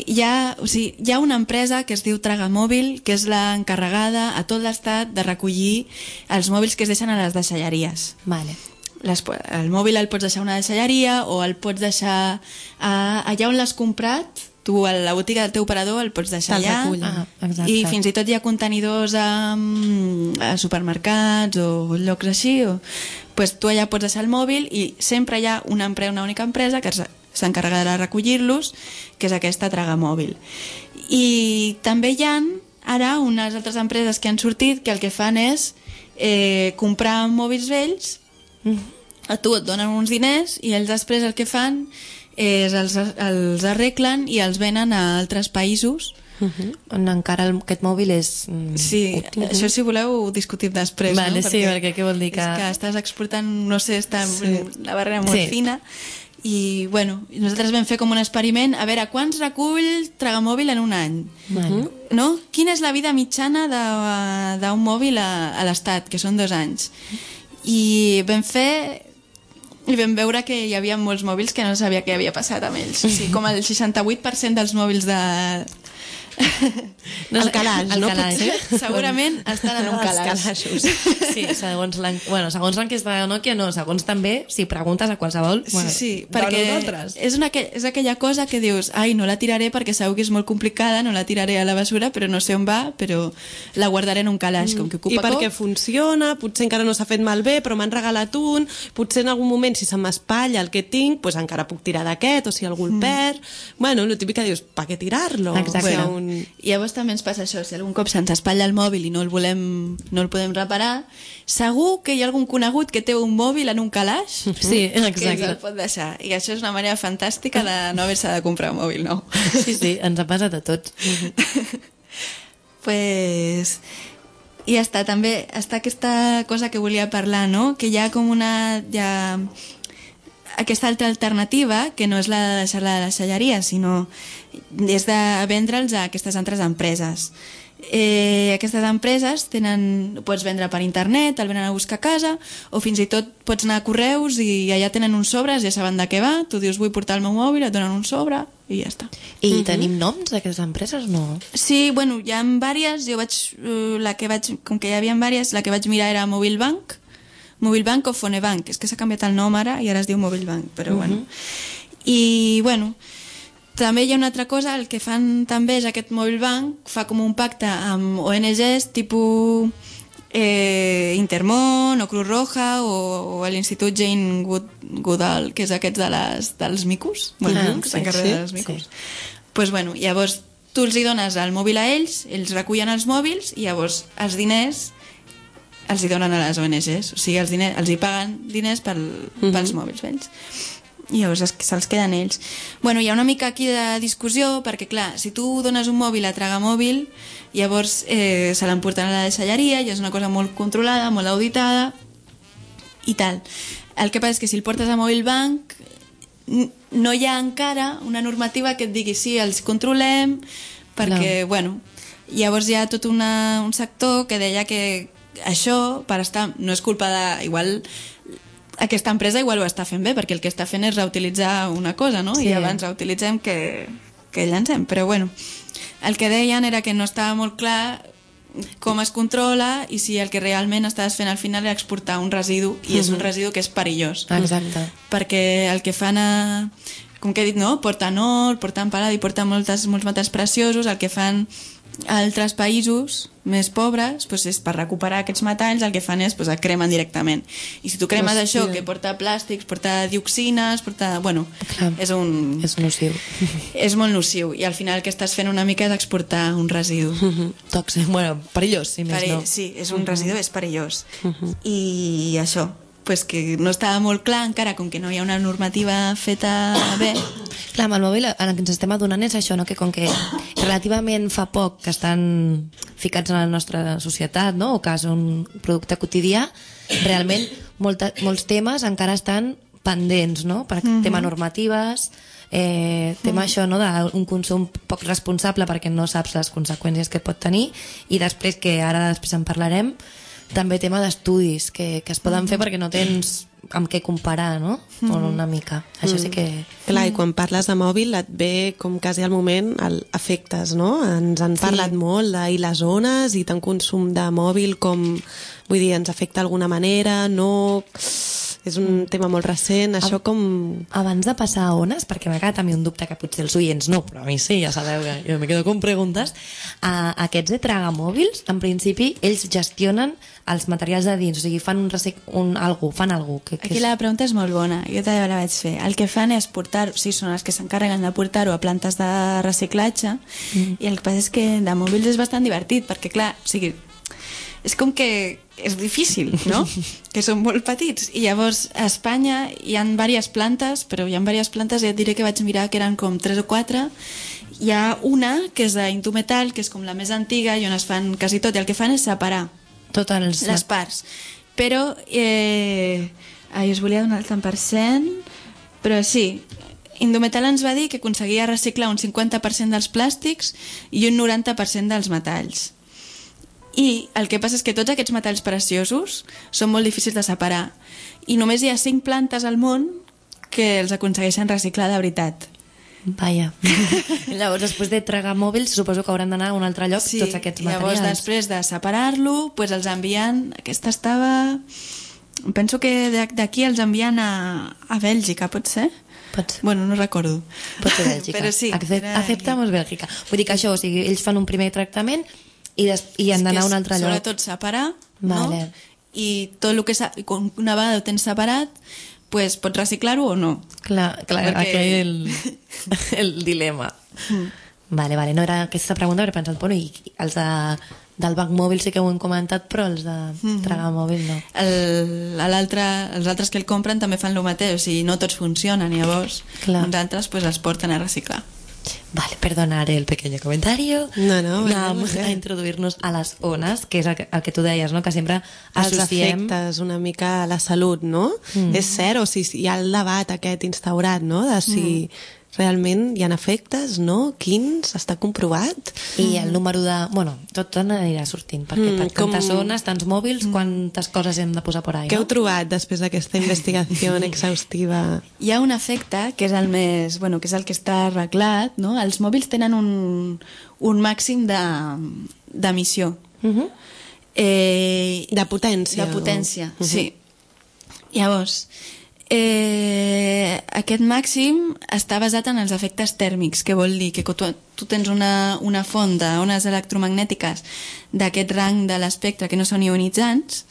hi ha, o sigui, hi ha una empresa que es diu Tragamòbil, que és l'encarregada a tot l'estat de recollir els mòbils que es deixen a les deixalleries. Vale. Les, el mòbil el pots deixar a una deixalleria o el pots deixar a, allà on l'has comprat. Tu a la botiga del teu operador el pots deixar allà. Ah, i fins i tot hi ha contenidors a, a supermercats o llocs així. O, pues tu allà pots deixar el mòbil i sempre hi ha una, una única empresa que s'encarregarà de recollir-los, que és aquesta Tragamòbil. I també hi ha ara unes altres empreses que han sortit que el que fan és eh, comprar mòbils vells, mm. a tu et donen uns diners i ells després el que fan és els, els arreglen i els venen a altres països. Uh-huh. On encara el, aquest mòbil és... Mm, sí, uh-huh. Això si voleu ho discutim després, vale, no? Sí, perquè, perquè què vol dir que... És que estàs exportant, no sé, està sí. La barrera molt sí. fina i, bueno, nosaltres vam fer com un experiment a veure quants recull Tragamòbil en un any. Uh-huh. No? Quina és la vida mitjana d'un mòbil a, a l'estat, que són dos anys. I vam fer... I vam veure que hi havia molts mòbils que no sabia què havia passat amb ells. O sigui, com el seixanta-vuit per cent dels mòbils de... No, el calaix, el no? Calaix. Potser? Segurament estan en un calaix. Sí, segons l'en... bueno, segons l'enquesta de Nokia, no, segons també, si preguntes a qualsevol... Sí, bueno, sí, perquè és, una, és aquella cosa que dius, ai, no la tiraré perquè segur que és molt complicada, no la tiraré a la basura, però no sé on va, però la guardaré en un calaix, mm. com que ocupa I perquè cop. Funciona, potser encara no s'ha fet malbé, però m'han regalat un, potser en algun moment, si se m'espatlla el que tinc, pues encara puc tirar d'aquest, o si algú el mm. perd... Bueno, el típic que dius, pa què tirar-lo? Exacte. Bueno, un... I llavors també ens passa això, si algun cop se'ns espatlla el mòbil i no el volem, no el podem reparar, segur que hi ha algun conegut que té un mòbil en un calaix, sí, exacte, que ens el pot deixar. I això és una manera fantàstica de no haver-se de comprar un mòbil nou. Sí, sí, ens ha passat a tots. Pues... I ja està, també està aquesta cosa que volia parlar, no? Que hi ha com una... Hi ha... aquesta altra alternativa, que no és la de deixar-la de deixalleria, sinó és de vendre'ls a aquestes altres empreses. Eh, aquestes empreses tenen, pots vendre per internet, el venen a buscar a casa, o fins i tot pots anar a correus i allà tenen uns sobres, ja saben de què va, tu dius vull portar el meu mòbil, et donen un sobre i ja està. I uh-huh. tenim noms d'aquestes empreses, no? Sí, bueno, hi ha diverses, jo vaig, la que vaig, com que hi havia diverses, la que vaig mirar era Mobilbank, Mobilbank o Fonebank, és que s'ha canviat el nom ara i ara es diu Mobilbank, però uh-huh. bueno. I, bueno, també hi ha una altra cosa, el que fan també és aquest Mobilbank, fa com un pacte amb O N Ges tipus eh, Intermón o Cruz Roja o, o l'Institut Jane Good, Goodall, que és aquest de les, dels micos, bueno, ah, que s'encarrega sí, dels micos. Sí. Pues, bueno, llavors tu els hi dones el mòbil a ells, ells recullen els mòbils i llavors els diners els hi donen a les O N Ges, o sigui, els, diners, els hi paguen diners pel, uh-huh. pels mòbils vells. I llavors se'ls queden ells. Bueno, hi ha una mica aquí de discussió, perquè clar, si tu dones un mòbil a Tragamòbil, llavors eh, se l'emporten a la deixalleria i és una cosa molt controlada, molt auditada i tal. El que passa és que si el portes a Mobilbank no hi ha encara una normativa que et digui sí, els controlem, perquè, no. bueno, llavors hi ha tot una, un sector que deia que això, per estar, no és culpa de... Igual aquesta empresa igual ho està fent bé, perquè el que està fent és reutilitzar una cosa, no? Sí. I abans reutilitzem que, que llancem. Però bueno, el que deien era que no estava molt clar com es controla i si el que realment estaves fent al final era exportar un residu, i és un residu que és perillós. Exacte. Perquè el que fan a... com que he dit, no? Porten or, porten paladi, porten moltes, molts metalls preciosos, el que fan a altres països més pobres, doncs és per recuperar aquests metalls, el que fan és doncs, el cremen directament. I si tu cremes Hòstia. això, que porta plàstics, porta dioxines, porta... Bueno, Clar, és un... És nociu. És molt nociu, i al final el que estàs fent una mica és exportar un residu. Uh-huh. Tòxic, bueno, perillós, si més Perill, no. Sí, és un uh-huh. residu, és perillós. Uh-huh. I això, pues que no estava molt clar encara, com que no hi ha una normativa feta bé. Clar, amb el mòbil el que ens estem adonant és això, no? Que com que relativament fa poc que estan ficats en la nostra societat, no? O que és un producte quotidià, realment molta, molts temes encara estan pendents, no? Per mm-hmm. tema normatives, eh, tema mm. això, no? D'un consum poc responsable perquè no saps les conseqüències que pot tenir, i després, que ara després en parlarem, també tema d'estudis que, que es poden mm. fer perquè no tens amb què comparar, no? Mm. O una mica. Això sí que... Clar, i quan parles de mòbil et ve com quasi al moment el efectes, no? Ens han parlat sí. molt de i les ones i tant consum de mòbil com, vull dir, ens afecta d'alguna manera, no... És un tema molt recent, això com... Abans de passar a ones, perquè m'ha quedat a mi un dubte que potser els oients no, però a mi sí, ja sabeu que jo me quedo con preguntes, a aquests de tragamòbils, en principi, ells gestionen els materials de dins, o sigui, fan un, recic... un algú, fan algú. Que, que Aquí és... la pregunta és molt bona, jo també la vaig fer. El que fan és portar, o sigui, són els que s'encarreguen de portar-ho a plantes de reciclatge, mm. i el que passa és que de mòbils és bastant divertit, perquè clar, o sigui, és com que és difícil, no? Que són molt petits. I llavors a Espanya hi ha diverses plantes, però hi ha diverses plantes, i et diré que vaig mirar que eren com tres o quatre. Hi ha una que és d'Indumetal, que és com la més antiga i on es fan quasi tot, i el que fan és separar Totes els... les parts. Però eh, ai, us volia donar el tant per cent, però sí, Indumetal ens va dir que aconseguia reciclar un cinquanta per cent dels plàstics i un noranta per cent dels metalls. I el que passa és que tots aquests metalls preciosos són molt difícils de separar, i només hi ha cinc plantes al món que els aconsegueixen reciclar de veritat. Vaja. Llavors, després de tragar mòbils, suposo que hauran d'anar a un altre lloc, sí, tots aquests materials. Llavors, després de separar-lo, pues els envien... Aquesta estava... Penso que d'aquí els envien a, a Bèlgica, pot ser? Pot ser. Bueno, no recordo. Pot ser Bèlgica. Però sí. Accept, aceptamos Bèlgica. Vull dir que això, o sigui, ells fan un primer tractament i, des, i han d'anar a un altre lloc. Sobretot separar, vale. no? I tot el que una vegada ho tens separat, pues, pots reciclar-ho o no? Clar, clar, perquè... aquí el, el dilema. Mm. Vale, vale, no era aquesta pregunta, però he pensat, bueno, i els de, del banc mòbil sí que ho hem comentat, però els de mm-hmm. tragar mòbil no. El, l'altre, els altres que el compren també fan el mateix, o sigui, no tots funcionen, llavors clar. Uns altres pues, els porten a reciclar. Vale, perdonar el pequeño comentario. No, no, Vamos a introduir-nos a les ones, que és el que, el que tu deies, no? Que sempre associem... Els efectes una mica a la salut, no? Mm. És cert, o sigui, hi ha el debat aquest instaurat, no? De si mm. realment hi ha efectes, no? Quins? Està comprovat? I el número de... Bueno, tot anirà sortint, perquè mm, per tantes com... ones, tants mòbils, quantes coses hem de posar por ahí, Què no? heu trobat després d'aquesta investigació exhaustiva? Hi ha un efecte que és el més... Bueno, que és el que està arreglat, no? Els mòbils tenen un, un màxim d'emissió. De, uh-huh. eh, de potència. De potència, o... sí. Uh-huh. Llavors... Eh, aquest màxim està basat en els efectes tèrmics, que vol dir que tu, tu tens una, una font d'ones electromagnètiques d'aquest rang de l'espectre que no són ionitzants,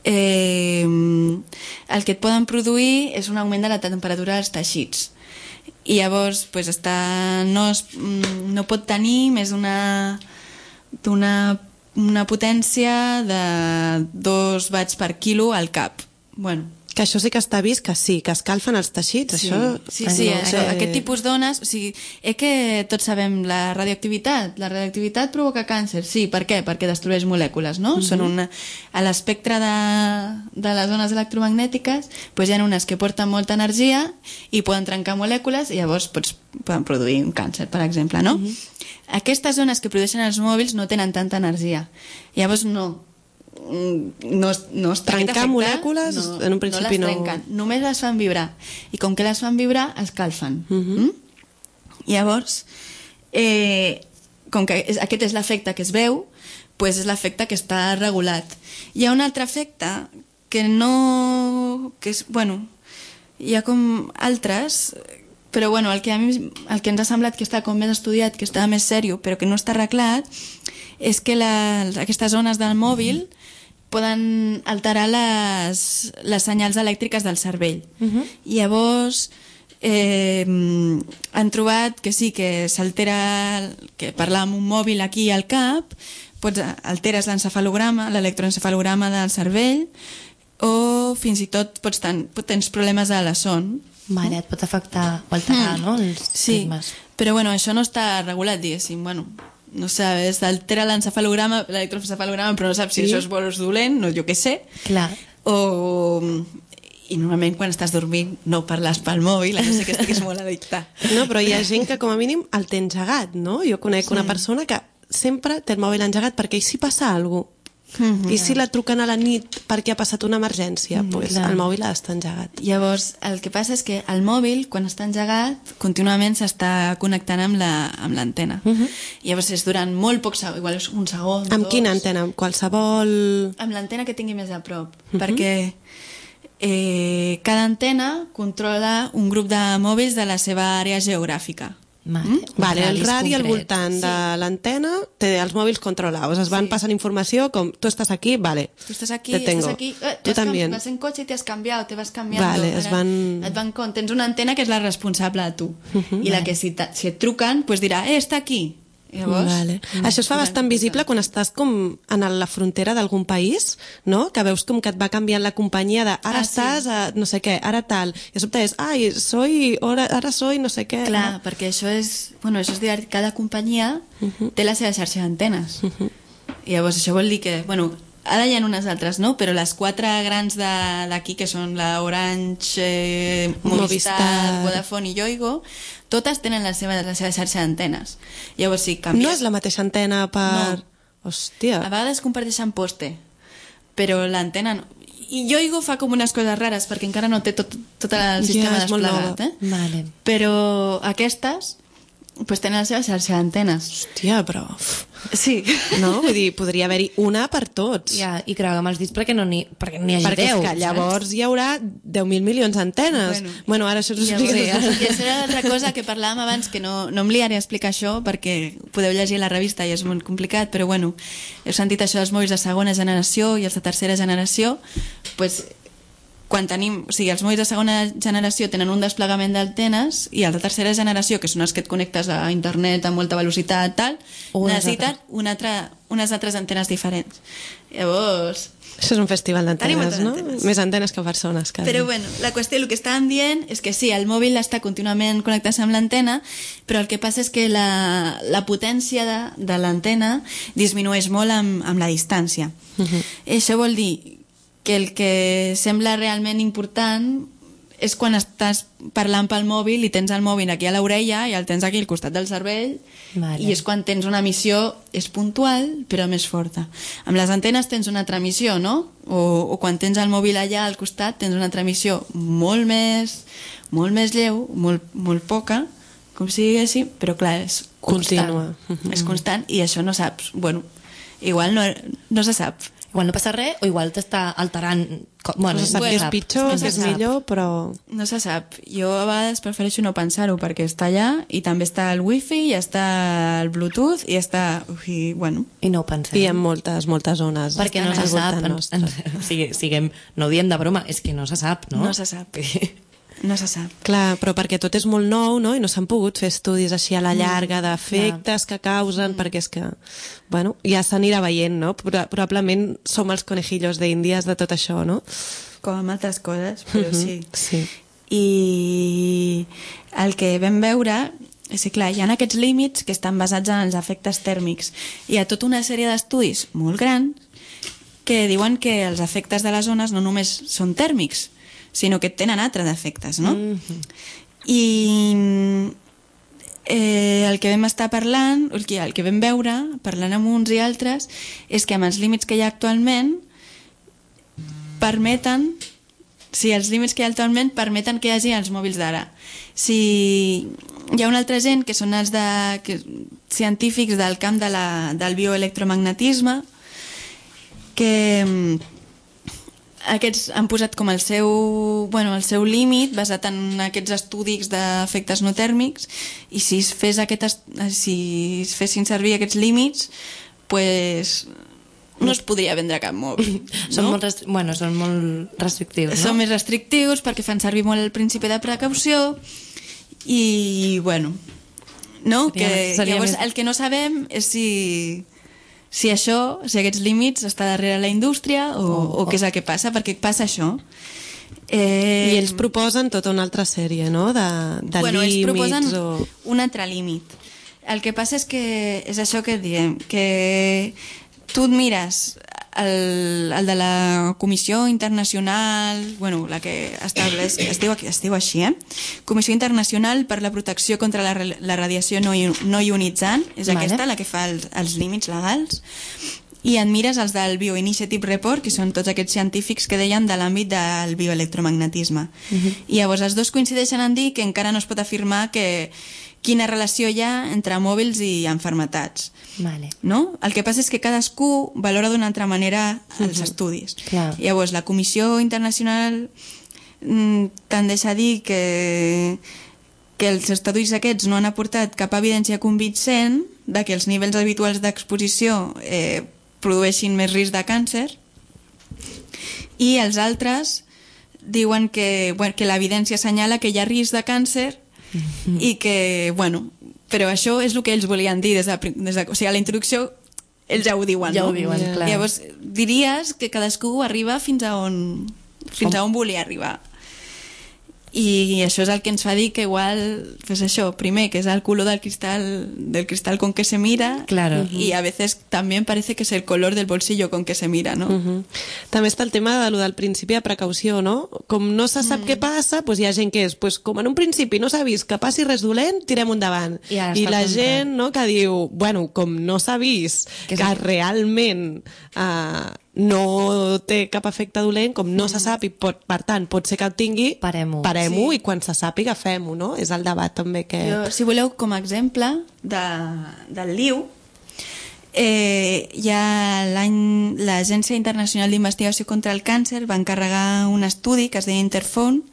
eh, el que et poden produir és un augment de la temperatura dels teixits, i llavors pues, està, no, es, no pot tenir més una, d'una una potència de dos watts per quilo al cap. Bueno, que això sí que està vist, que sí, que escalfen els teixits, sí, això... Sí, sí, no, això, eh... aquest tipus d'ones, o sigui, és que tots sabem la radioactivitat, la radioactivitat provoca càncer, sí, per què? Perquè destrueix molècules, no? Uh-huh. Són una... A l'espectre de, de les ones electromagnètiques, doncs hi ha unes que porten molta energia i poden trencar molècules i llavors pots, poden produir un càncer, per exemple, no? Uh-huh. Aquestes ones que produeixen els mòbils no tenen tanta energia, llavors no... no, no està trencar molècules no, en un principi no les trenquen, no... només les fan vibrar, i com que les fan vibrar escalfen. Uh-huh. mm? Llavors eh, com que és, aquest és l'efecte que es veu, pues és l'efecte que està regulat. Hi ha un altre efecte que no... que és, bueno, hi ha com altres, però bueno, el que a mi el que ens ha semblat que està com més estudiat, que està més sèrio, però que no està arreglat, és que la, aquestes ones del mòbil poden alterar les, les senyals elèctriques del cervell. Uh-huh. Llavors eh, han trobat que sí, que s'altera, que parlar amb un mòbil aquí al cap, pots, alteres l'encefalograma, l'electroencefalograma del cervell, o fins i tot pots ten, tens problemes a la son. Vale, et pot afectar o alterar, mm. no? Els sí, ritmes. Però bueno, això no està regulat, diguéssim, bueno... no sabes, altera l'encefalograma, l'electroencefalograma, però no saps si sí. això és bo o és dolent, no, jo què sé. Clar. O... I normalment quan estàs dormint no parles pel mòbil, a no sé que estiguis molt addictat. No, però hi ha gent que com a mínim el té engegat, no? Jo conec sí. una persona que sempre té el mòbil engegat perquè i si passa alguna cosa? Mm-hmm. I si la truquen a la nit perquè ha passat una emergència, mm, pues el mòbil ha d'estar engegat. Llavors, el que passa és que el mòbil, quan està engegat, contínuament s'està connectant amb l'antena. La, amb mm-hmm. Llavors és durant molt poc segon, igual és un segon, amb dos... quina antena? Amb qualsevol... Amb l'antena que tingui més a prop, mm-hmm. perquè eh, cada antena controla un grup de mòbils de la seva àrea geogràfica. Vale, mm? vale el radi al voltant sí. de l'antena té els mòbils controlados, es van sí. passant informació com tu estàs aquí, vale, tu estàs aquí, te tengo. Estàs aquí. Eh, tu també vas en cotxe i t'has canviat, te vas canviant, vale, es van... et van con... tens una antena que és la responsable de tu uh-huh, i la vale. que si, si et truquen pues dirà, eh, està aquí. Llavors, vale. mm, això es fa bastant visible quan estàs com en la frontera d'algun país, no? Que veus com que et va canviant la companyia de ara ah, estàs sí. a no sé què, ara tal, i de sobte és ai, soy, ara, ara soy no sé què. Clar, no? Perquè això és, bueno, això és dir, cada companyia uh-huh. té la seva xarxa d'antenes. Uh-huh. I llavors això vol dir que, bueno, ara hi ha unes altres, no? Però les quatre grans d'aquí, que són la Orange, eh, Movistar, Movistar, Vodafone i Yoigo, totes tenen la seva, la seva xarxa d'antenes. Llavors, si canvies... No és la mateixa antena per... No. Hòstia. A vegades comparteixen poste, però l'antena no. I Yoigo fa com unes coses rares, perquè encara no té tot, tot el sistema yeah, desplegat. Eh? Vale. Però aquestes pues tenen la seva xarxa d'antenes. Hòstia, però... Sí. No? Vull dir, podria haver-hi una per tots. Ja, i creuar amb els dits perquè no n'hi perquè n'hi hagi perquè deu. Perquè llavors saps? Hi haurà deu mil milions d'antenes. Bueno, bueno, ara això us ho explicaré. I això era l'altra cosa que parlàvem abans, que no, no em liaré a explicar això perquè podeu llegir la revista i és molt complicat, però bueno, heu sentit això dels mòbils de segona generació i els de tercera generació, pues... quan tenim, o sigui, els mòbils de segona generació tenen un desplegament d'antenes i els de tercera generació, que són els que et connectes a internet a molta velocitat, tal, necessiten una altra, unes altres antenes diferents. Llavors... Això és un festival d'antenes, no? Antenes. Més antenes que persones. Quasi. Però bueno, la qüestió, el que estàvem dient és que sí, el mòbil està contínuament connectat amb l'antena, però el que passa és que la, la potència de, de l'antena disminueix molt amb, amb la distància. Uh-huh. Això vol dir que el que sembla realment important és quan estàs parlant pel mòbil i tens el mòbil aquí a l'orella i el tens aquí al costat del cervell, vale. I és quan tens una emissió, és puntual però més forta. Amb les antenes tens una altra emissió, no? O, o quan tens el mòbil allà al costat tens una altra emissió molt més molt més lleu, molt, molt poca, com si diguéssim, però clar, és constant. Contínua. Mm-hmm. És constant i això no saps, bueno, igual no, no se sap. Igual no passa res o igual t'està alterant... Bueno, no se sap bueno, que és pitjor, no que és millor, però... No se sap. Jo a vegades prefereixo no pensar-ho perquè està allà i també està el wifi i està el bluetooth i està... I, bueno. I no ho pensem. I hi ha moltes, moltes zones. Perquè no se sap. En, en, o sigui, siguem, no ho diem de broma, és que no se sap, no? No se sap. No se sap. Clar, però perquè tot és molt nou, no? I no s'han pogut fer estudis així a la llarga mm, d'efectes que causen, mm. perquè és que, bueno, ja s'anirà veient, no? Probablement som els conejillos d'Índies de tot això, no? Com amb altres coses, però mm-hmm, sí. Sí. I el que vam veure és que, clar, hi ha aquests límits que estan basats en els efectes tèrmics. Hi ha tota una sèrie d'estudis molt grans que diuen que els efectes de les ones no només són tèrmics, sinó que tenen altres efectes, no? Mm-hmm. I eh, el que vam estar parlant, el que, el que vam veure, parlant amb uns i altres, és que amb els límits que hi ha actualment, permeten, si els límits que hi ha actualment permeten que hi hagi els mòbils d'ara. Si hi ha una altra gent, que són els de, que, científics del camp de la, del bioelectromagnetisme, que aquests han posat com el seu, bueno, el seu límit basat en aquests estudis d'efectes no tèrmics, i si es, fes aquest, si es fessin servir aquests límits, pues, no es podria vendre cap mòbil. No? Són, molt restri... bueno, són molt restrictius, no? Són més restrictius perquè fan servir molt el principi de precaució i, bueno, no? Seria, que, seria llavors, més... el que no sabem és si... si això, si aquests límits està darrere la indústria o, oh, oh. o què és el que passa, perquè passa això. Eh... I ells proposen tota una altra sèrie, no?, de, de bueno, límits. Ells proposen o... un altre límit. El que passa és que és això que diem, que tu et mires el, el de la Comissió Internacional, bueno, la que estableix, es diu, es diu així, eh? Comissió Internacional per la Protecció contra la, la Radiació no, no Ionitzant, és vale. Aquesta la que fa els, els límits legals, i et mires els del Bioinitiative Report, que són tots aquests científics que deien de l'àmbit del bioelectromagnetisme. Uh-huh. I llavors els dos coincideixen en dir que encara no es pot afirmar que quina relació hi ha entre mòbils i enfermetats. Vale. No? El que passa és que cadascú valora d'una altra manera els uh-huh. estudis. Clar. Llavors, la Comissió Internacional mm, tendeix a dir que, que els estudis aquests no han aportat cap evidència convincent de que els nivells habituals d'exposició eh, produeixin més risc de càncer, i els altres diuen que, bueno, que l'evidència assenyala que hi ha risc de càncer mm-hmm. i que, bueno, però això és el que ells volien dir des de, des de, o sigui, a la introducció ells ja ho diuen, ja no? ho diuen, clar. Llavors diries que cadascú arriba fins a on fins a on volia arribar, i això és el que ens fa dir que igual, pues això, primer, que és el color del cristal, del cristal con que se mira, claro. Y a veces también parece que es el color del bolsillo con que se mira, no? Uh-huh. També està el tema de lo del principi de precaució, no? Com no se sap mm. què passa, doncs hi ha gent que és, doncs com en un principi no s'ha vist que passi res dolent, tirem endavant. I, I la gent, no, que diu, bueno, com no s'ha vist que, que realment eh, no té cap efecte dolent, com no mm. se sap i pot, per tant pot ser que el tingui, parem-ho, parem-ho sí. I quan se sàpiga fem-ho, no? És el debat també que... Jo, si voleu, com a exemple de, del L I U, eh, hi ha l'any l'Agència Internacional d'Investigació contra el Càncer va encarregar un estudi que es deia Interphone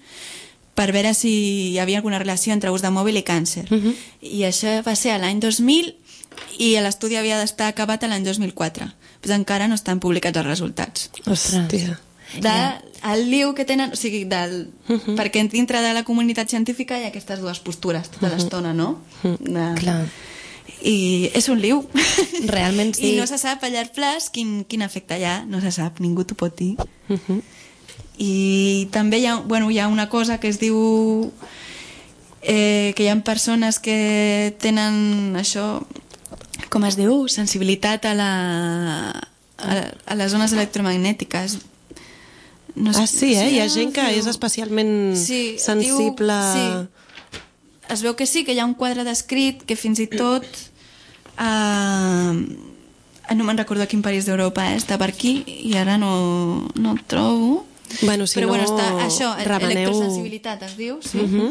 per veure si hi havia alguna relació entre ús de mòbil i càncer. Uh-huh. I això va ser l'any dos mil i l'estudi havia d'estar acabat l'any dos mil quatre. Pues encara no estan publicats els resultats. Hòstia. De, el L I U que tenen, o sigui, del, uh-huh. perquè dintre de la comunitat científica hi ha aquestes dues postures tota uh-huh. l'estona, no? Uh-huh. De, clar. I és un L I U. Realment sí. I no se sap a llarg plaç quin, quin efecte hi ha, no se sap, ningú t'ho pot dir. Uh-huh. I també hi ha, bueno, hi ha una cosa que es diu eh, que hi ha persones que tenen això, com es diu, sensibilitat a la a, a les zones electromagnètiques. No sé, ah, sí, eh? Sí, hi ha gent que és especialment sí, sensible... Diu, sí. Es veu que sí, que hi ha un quadre descrit que fins i tot eh, no me'n recordo a quin país d'Europa eh, està per aquí i ara no, no el trobo. Bueno, si però no, bueno, està, això, remeneu... electrosensibilitat es diu, sí. Uh-huh.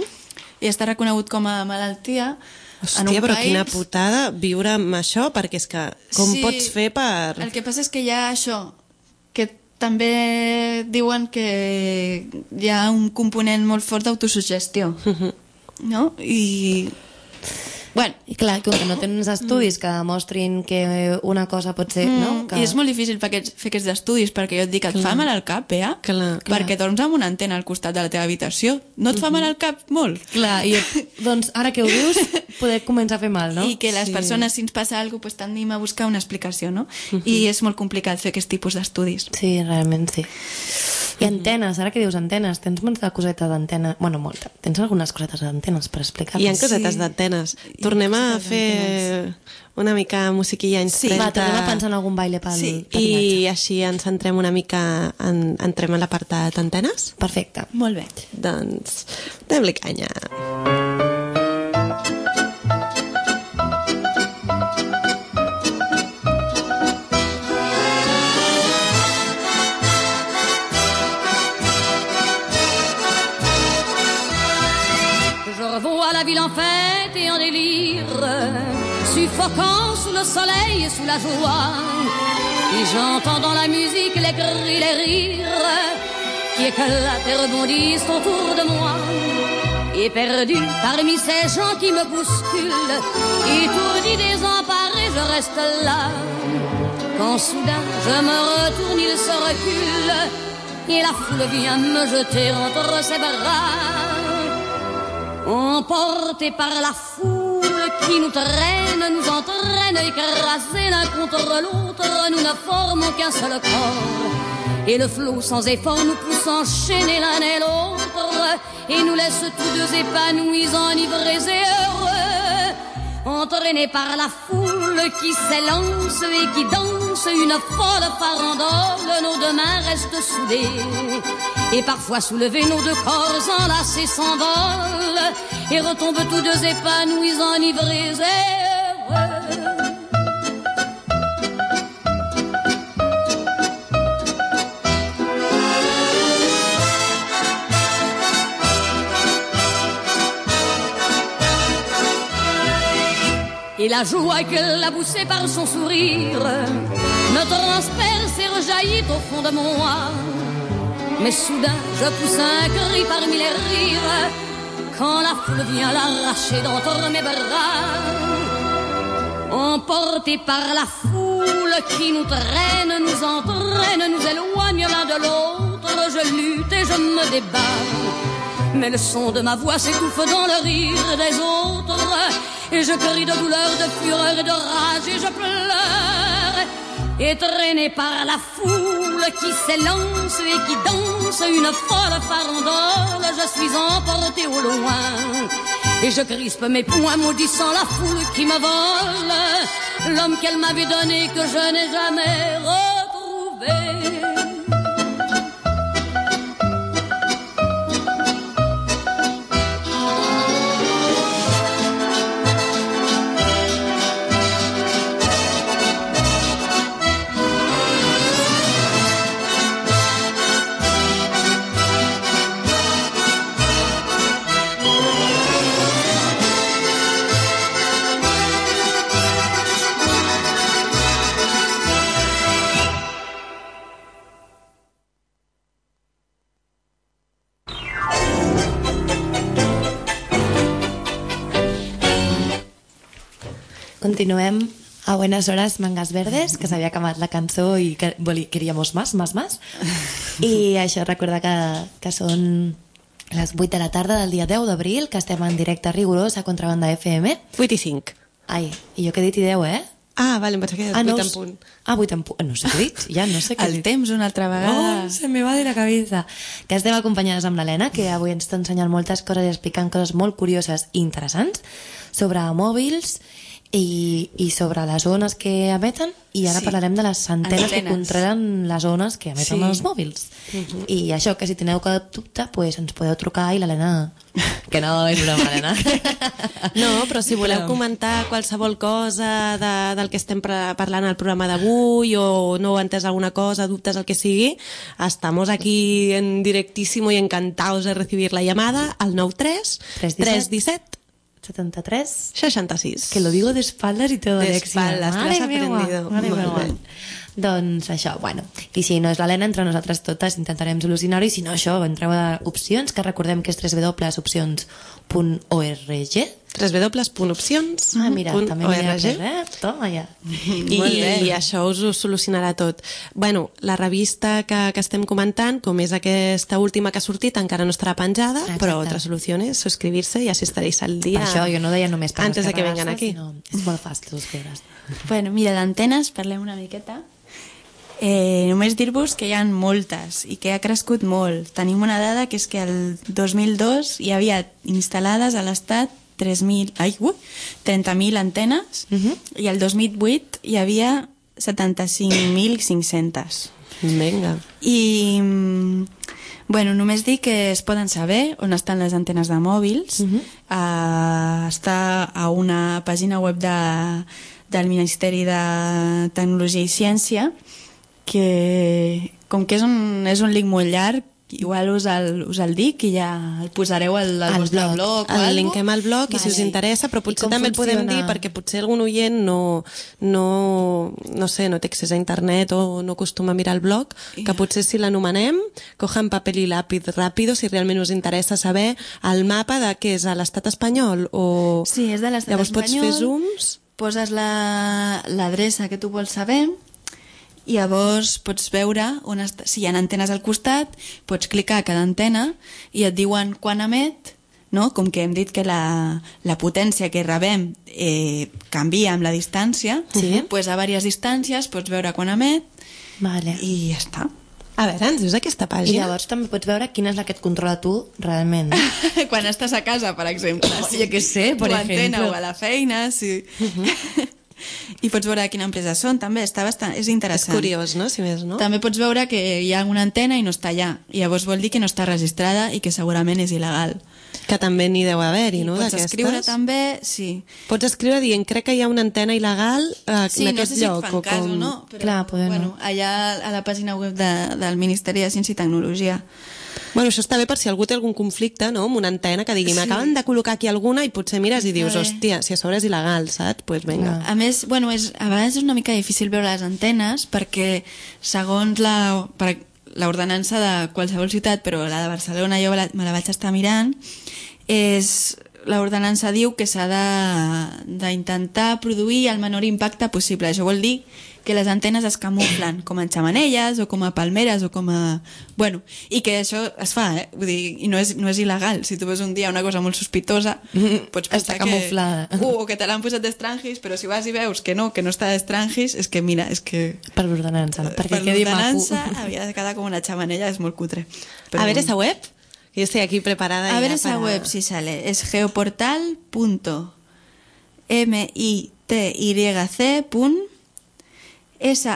I està reconegut com a malaltia. Hòstia, però país... quina putada viure amb això, perquè és que com sí, pots fer per... El que passa és que hi ha això, que també diuen que hi ha un component molt fort d'autosugestió, uh-huh. no? I... Bueno. I clar, com que no tenen uns estudis que demostrin que una cosa pot ser... Mm, no? Que... I és molt difícil fer aquests, fer aquests estudis, perquè jo et dic, et clar. Fa mal al cap, eh? Clar, clar. Perquè dorms amb una antena al costat de la teva habitació. No et fa mal al cap molt? Clar, i doncs ara que ho dius, poder començar a fer mal, no? I que les sí. persones, si ens passa alguna cosa, pues, tendim a buscar una explicació, no? Uh-huh. I és molt complicat fer aquest tipus d'estudis. Sí, realment sí. I antenes, ara que dius antenes, tens molta coseta d'antena... Bueno, molta. Tens algunes cosetes d'antenes per explicar-nos? Hi ha cosetes sí. d'antenes. Tornem a fer una mica musiquilla anys sí. trenta. Va, tornem a pensar en algun baile pel, sí. pel I viatge. així ens centrem una mica, en, entrem a l'apartat antenes. Perfecte. Molt bé. Doncs, donem-li canya. ville en fête et en délire, suffocant sous le soleil et sous la joie. Et j'entends dans la musique les cris, les rires qui éclatent et rebondissent autour de moi. Et perdu parmi ces gens qui me bousculent, étourdi, désemparé, je reste là. Quand soudain je me retourne, il se recule et la foule vient me jeter entre ses bras. Emportés par la foule qui nous traîne, nous entraîne, écrasés l'un contre l'autre, nous ne formons qu'un seul corps. Et le flot sans effort nous pousse enchaîner l'un et l'autre, et nous laisse tous deux épanouis, enivrés et heureux. Entraînés par la foule qui s'élance et qui danse une folle farandole, nos deux mains restent soudées. Et parfois soulevés, nos deux corps enlacés s'envolent et retombent tous deux épanouis, enivrés et heureux. Et la joie qu'elle a poussée par son sourire me transperce et rejaillit au fond de moi. Mais soudain je pousse un cri parmi les rires quand la foule vient l'arracher d'entre mes bras. Emportés par la foule qui nous traîne, nous entraîne, nous éloigne l'un de l'autre, je lutte et je me débat. Mais le son de ma voix s'étouffe dans le rire des autres, et je crie de douleur, de fureur et de rage, et je pleure. Et traîné par la foule qui s'élance et qui danse une folle farandole, je suis emporté au loin. Et je crispe mes poings maudissant la foule qui me vole l'homme qu'elle m'avait donné que je n'ai jamais retrouvé. Continuem a Buenas Horas, Mangas Verdes, que s'havia acabat la cançó i que queríamos más, más, más. I això recorda que, que són les vuit de la tarda del dia deu d'abril, que estem en directe rigorós a Contrabanda F M. vuit i cinc. Ai, i jo que he dit i deu, eh? Ah, vale, em pensava que ah, vuit no, en punt. Ah, vuit en punt. No sé què he dit, ja no sé què he dit. El temps una altra vegada. Oh, se me va de la cabeza. Que estem acompanyades amb l'Helena, que avui ens està ensenyant moltes coses i explicant coses molt curioses i interessants sobre mòbils i, i sobre les ones que emeten, i ara sí. parlarem de les antenes, antenes que controlen les ones que emeten sí. els mòbils. Uh-huh. I això, que si teniu cap dubte, pues ens podeu trucar i l'Helena... Que no és broma, Helena. No, però si voleu comentar qualsevol cosa de, del que estem parlant al programa d'avui, o no heu entès alguna cosa, dubtes, el que sigui, estamos aquí en directísimo y encantados de recibir la llamada al nou tres tres disset setenta-tres seixanta-sis. Que lo digo de espaldas y todo, de Alexia. espaldas, te lo has aprendido. Mare meva. Doncs això, bueno, i si no és l'Helena, entre nosaltres totes intentarem solucionar-ho, i si no això, entreu a opcions, que recordem que és w w w punt opcions punt org. w w w punt opcions Ah, mira, també m'hi ha après, eh? Toma ja. I, I això us ho solucionarà tot. Bueno, la revista que, que estem comentant, com és aquesta última que ha sortit, encara no estarà penjada, exacte. Però otra solució és suscribir-se i així estaréis al dia. Per això jo no deia només per antes de que vengan aquí. Sinó, és molt fàcil suscriure-se. Bueno, mira, d'antenes parlem una miqueta. Eh, només dir-vos que hi ha moltes i que ha crescut molt. Tenim una dada que és que el dos mil dos hi havia instal·lades a l'estat tres mil, ai, uh, trenta mil antenes, uh-huh. i el dos mil vuit hi havia setanta-cinc mil cinc-cents. Vinga. I, bueno, només dic que es poden saber on estan les antenes de mòbils. Uh-huh. Uh, està a una pàgina web de, del Ministeri de Tecnologia i Ciència, que com que és un, és un link molt llarg, igual us el, us el dic i ja el posareu al, al Al vostre blog. blog o El alguna linkem al blog, i si us Vale. interessa, però I potser com també el podem funciona? dir perquè potser algun oient no, no, no sé, no té accés a internet o no acostuma a mirar el blog, que potser si l'anomenem, cojan paper i làpid ràpido, si realment us interessa saber el mapa de què és a l'estat espanyol o... Sí, és de l'estat Llavors pots espanyol. fer zooms... Poses la- l'adreça que tu vols saber i llavors pots veure on està, si hi ha antenes al costat, pots clicar a cada antena i et diuen quan emet, no? Com que hem dit que la, la potència que rebem eh, canvia amb la distància, Sí. pues a diverses distàncies pots veure quan emet Vale. I, i ja està. A veure, ens dius aquesta I pàgina? llavors també pots veure quina és la que et controla tu realment. Quan estàs a casa, per exemple. Jo què sé, per tu antena ejemplo. o a la feina, sí. I pots veure de quina empresa són, també. Està bastant, és És interessant. curiós, no?, si més no. També pots veure que hi ha una antena i no està allà. I llavors vol dir que no està registrada i que segurament és il·legal. Que també n'hi deu haver-hi, no?, Pots d'aquestes. escriure també, sí. Pots escriure dient, crec que hi ha una antena il·legal eh, Sí, en no aquest sé si lloc. et fan o cas com... o no, però Clar, poder bueno, no. allà a la pàgina web de, del Ministeri de Ciència i Tecnologia. Bueno, això està bé per si algú té algun conflicte, no?, amb una antena que digui, Sí. m'acaben de col·locar aquí alguna i potser mires i dius, bé. hòstia, si a sobre és il·legal, saps? Doncs pues vinga. A més, bueno, és, a vegades és una mica difícil veure les antenes perquè segons la, per, l'ordenança de qualsevol ciutat, però la de Barcelona jo la, me la vaig estar mirant, és l'ordenança diu que s'ha de- d'intentar produir el menor impacte possible. Això vol dir que les antenes es camuflen com en xamanelles o com a palmeres o com a... Bueno, i que això es fa, eh? Vull dir, i no és, no és il·legal. Si tu veus un dia una cosa molt sospitosa, pots pensar Està camuflada. que... Uh, o que te l'han posat d'estrangis, però si vas i veus que no, que no està d'estrangis, és que mira, és que... Per l'ordenança, no? Perquè per quedi maco. l'ordenança havia de quedar com una xamanella, és molt cutre. A ver esa web, que yo estoy aquí preparada. A ya ver esa para- web si sale. Es geoportal punto mityc punt se,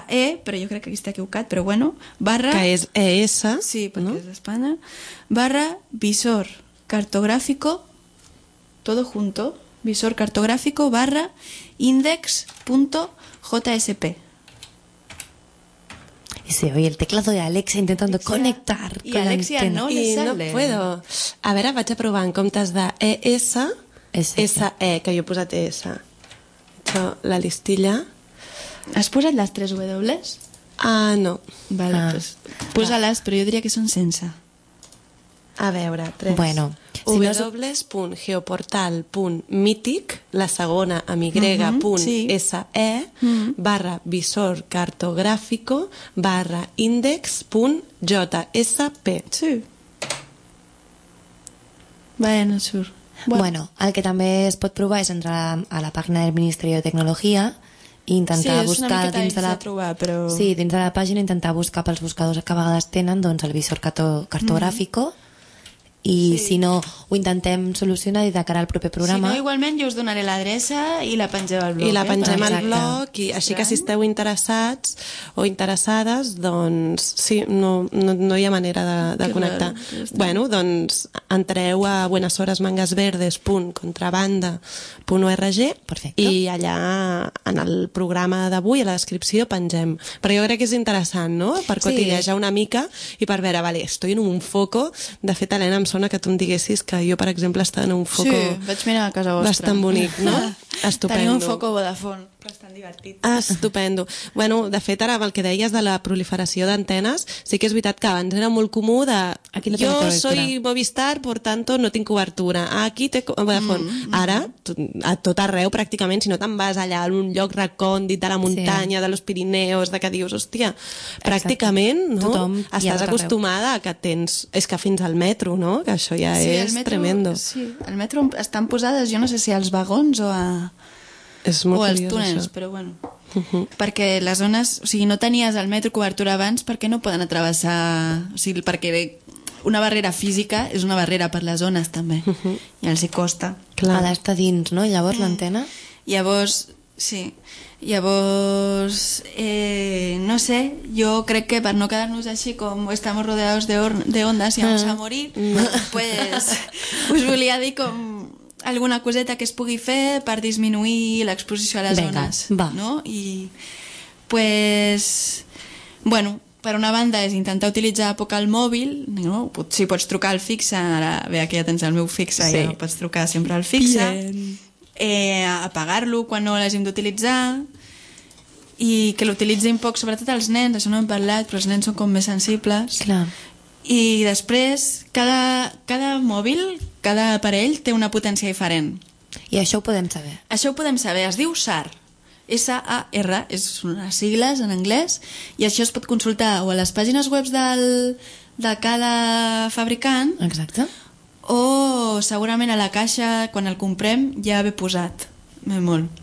però jo crec que aquí està equivocat, però bueno, barra... Que és E S, Sí, perquè no? és d'Espanya. Barra visor cartográfico, todo junto, visor cartográfico barra index punto jsp. Y se oye el teclado de Alexa intentando conectar Y con Alexia la antena. no. I no sale. puedo. A veure, vaig a provar en comptes de E S, S. S E, que jo he posat E S. Això, la listilla... Has posat les tres W? Ah, no. Vale, Ah. pues, posa-les, però jo diria que són sense. A veure, tres. Bueno, si no és- w punt geoportal punt mític, la segona amb y Mhm, punt sí. se, barra visor cartográfico, barra index punt jsp. Sí. Vaya, no surt. Bueno. el que també es pot provar és entrar a la pàgina del Ministeri de Tecnologia i intentar Sí, és una buscar miqueta dins de la... difícil de trobar, però- Sí, dins de la pàgina intentar buscar pels buscadors que a vegades tenen doncs, el visor carto cartográfico i Sí. si no ho intentem solucionar i de cara al proper Si programa. no, igualment jo us donaré l'adreça i la pengeu al blog. I la eh? pengem al Exacte. blog, i així que si esteu interessats o interessades, doncs sí, no, no, no hi ha manera de, de Que connectar. raro, ja està. Bueno, doncs entreu a buenasorasmangasverdes punt contrabanda punt org Perfecte. i allà en el programa d'avui, a la descripció, pengem. Però jo crec que és interessant, no?, per Sí. cotillejar una mica i per veure, vale, estoy en un foco. De fet, Helena, em sona que tu em diguessis que jo, per exemple, estava en un foco Sí, vaig mirar a casa vostra. bastant bonic, no? Estupendo. Tenia un foco Vodafone, bastant divertit. Ah, estupendo. Bueno, de fet, ara amb el que deies de la proliferació d'antenes, sí que és veritat que abans era molt comú de Aquí no tengo jo cobertura. soy Movistar, por tanto no tinc cobertura. Aquí té co- Vodafone. Mm, Ara, to- a tot arreu, pràcticament, si no te'n vas allà a un lloc recòndit de la muntanya, de los Pirineus, de que dius, hòstia, pràcticament, no? Tothom hi ha Estàs tot arreu. acostumada a que tens... És que fins al metro, no? Que això ja Sí, és al metro, tremendo. Sí, al metro estan posades, jo no sé si als vagons o a... És molt o als curiós, túnels, això. però bueno. Perquè les zones... O sigui, no tenies al metro cobertura abans perquè no poden atravessar... O sigui, perquè una barrera física és una barrera per les zones, també. I els hi costa. Clar. Ha d'estar dins, no? Llavors l'antena... Llavors, sí. Llavors, eh, no sé, jo crec que per no quedar-nos així com estamos rodeados de, or de ondas y vamos a morir, pues us volia dir com alguna coseta que es pugui fer per disminuir l'exposició a les Vinga, zones. va. No? I, pues, bueno, per una banda és intentar utilitzar poc el mòbil, no? Si pots trucar al fixe, ara bé, aquí ja tens el meu fixe, sí. Ja pots trucar sempre al fixe, eh, apagar-lo quan no l'hàgim d'utilitzar, i que l'utilitzin poc, sobretot els nens, això no hem parlat, però els nens són com més sensibles. Clar. I després, cada, cada mòbil, cada aparell té una potència diferent. I això ho podem saber? Això ho podem saber, es diu S A R. S A R, és unes sigles en anglès, i això es pot consultar o a les pàgines web del, de cada fabricant. Exacte. O segurament a la caixa, quan el comprem, ja ve posat. Ve molt.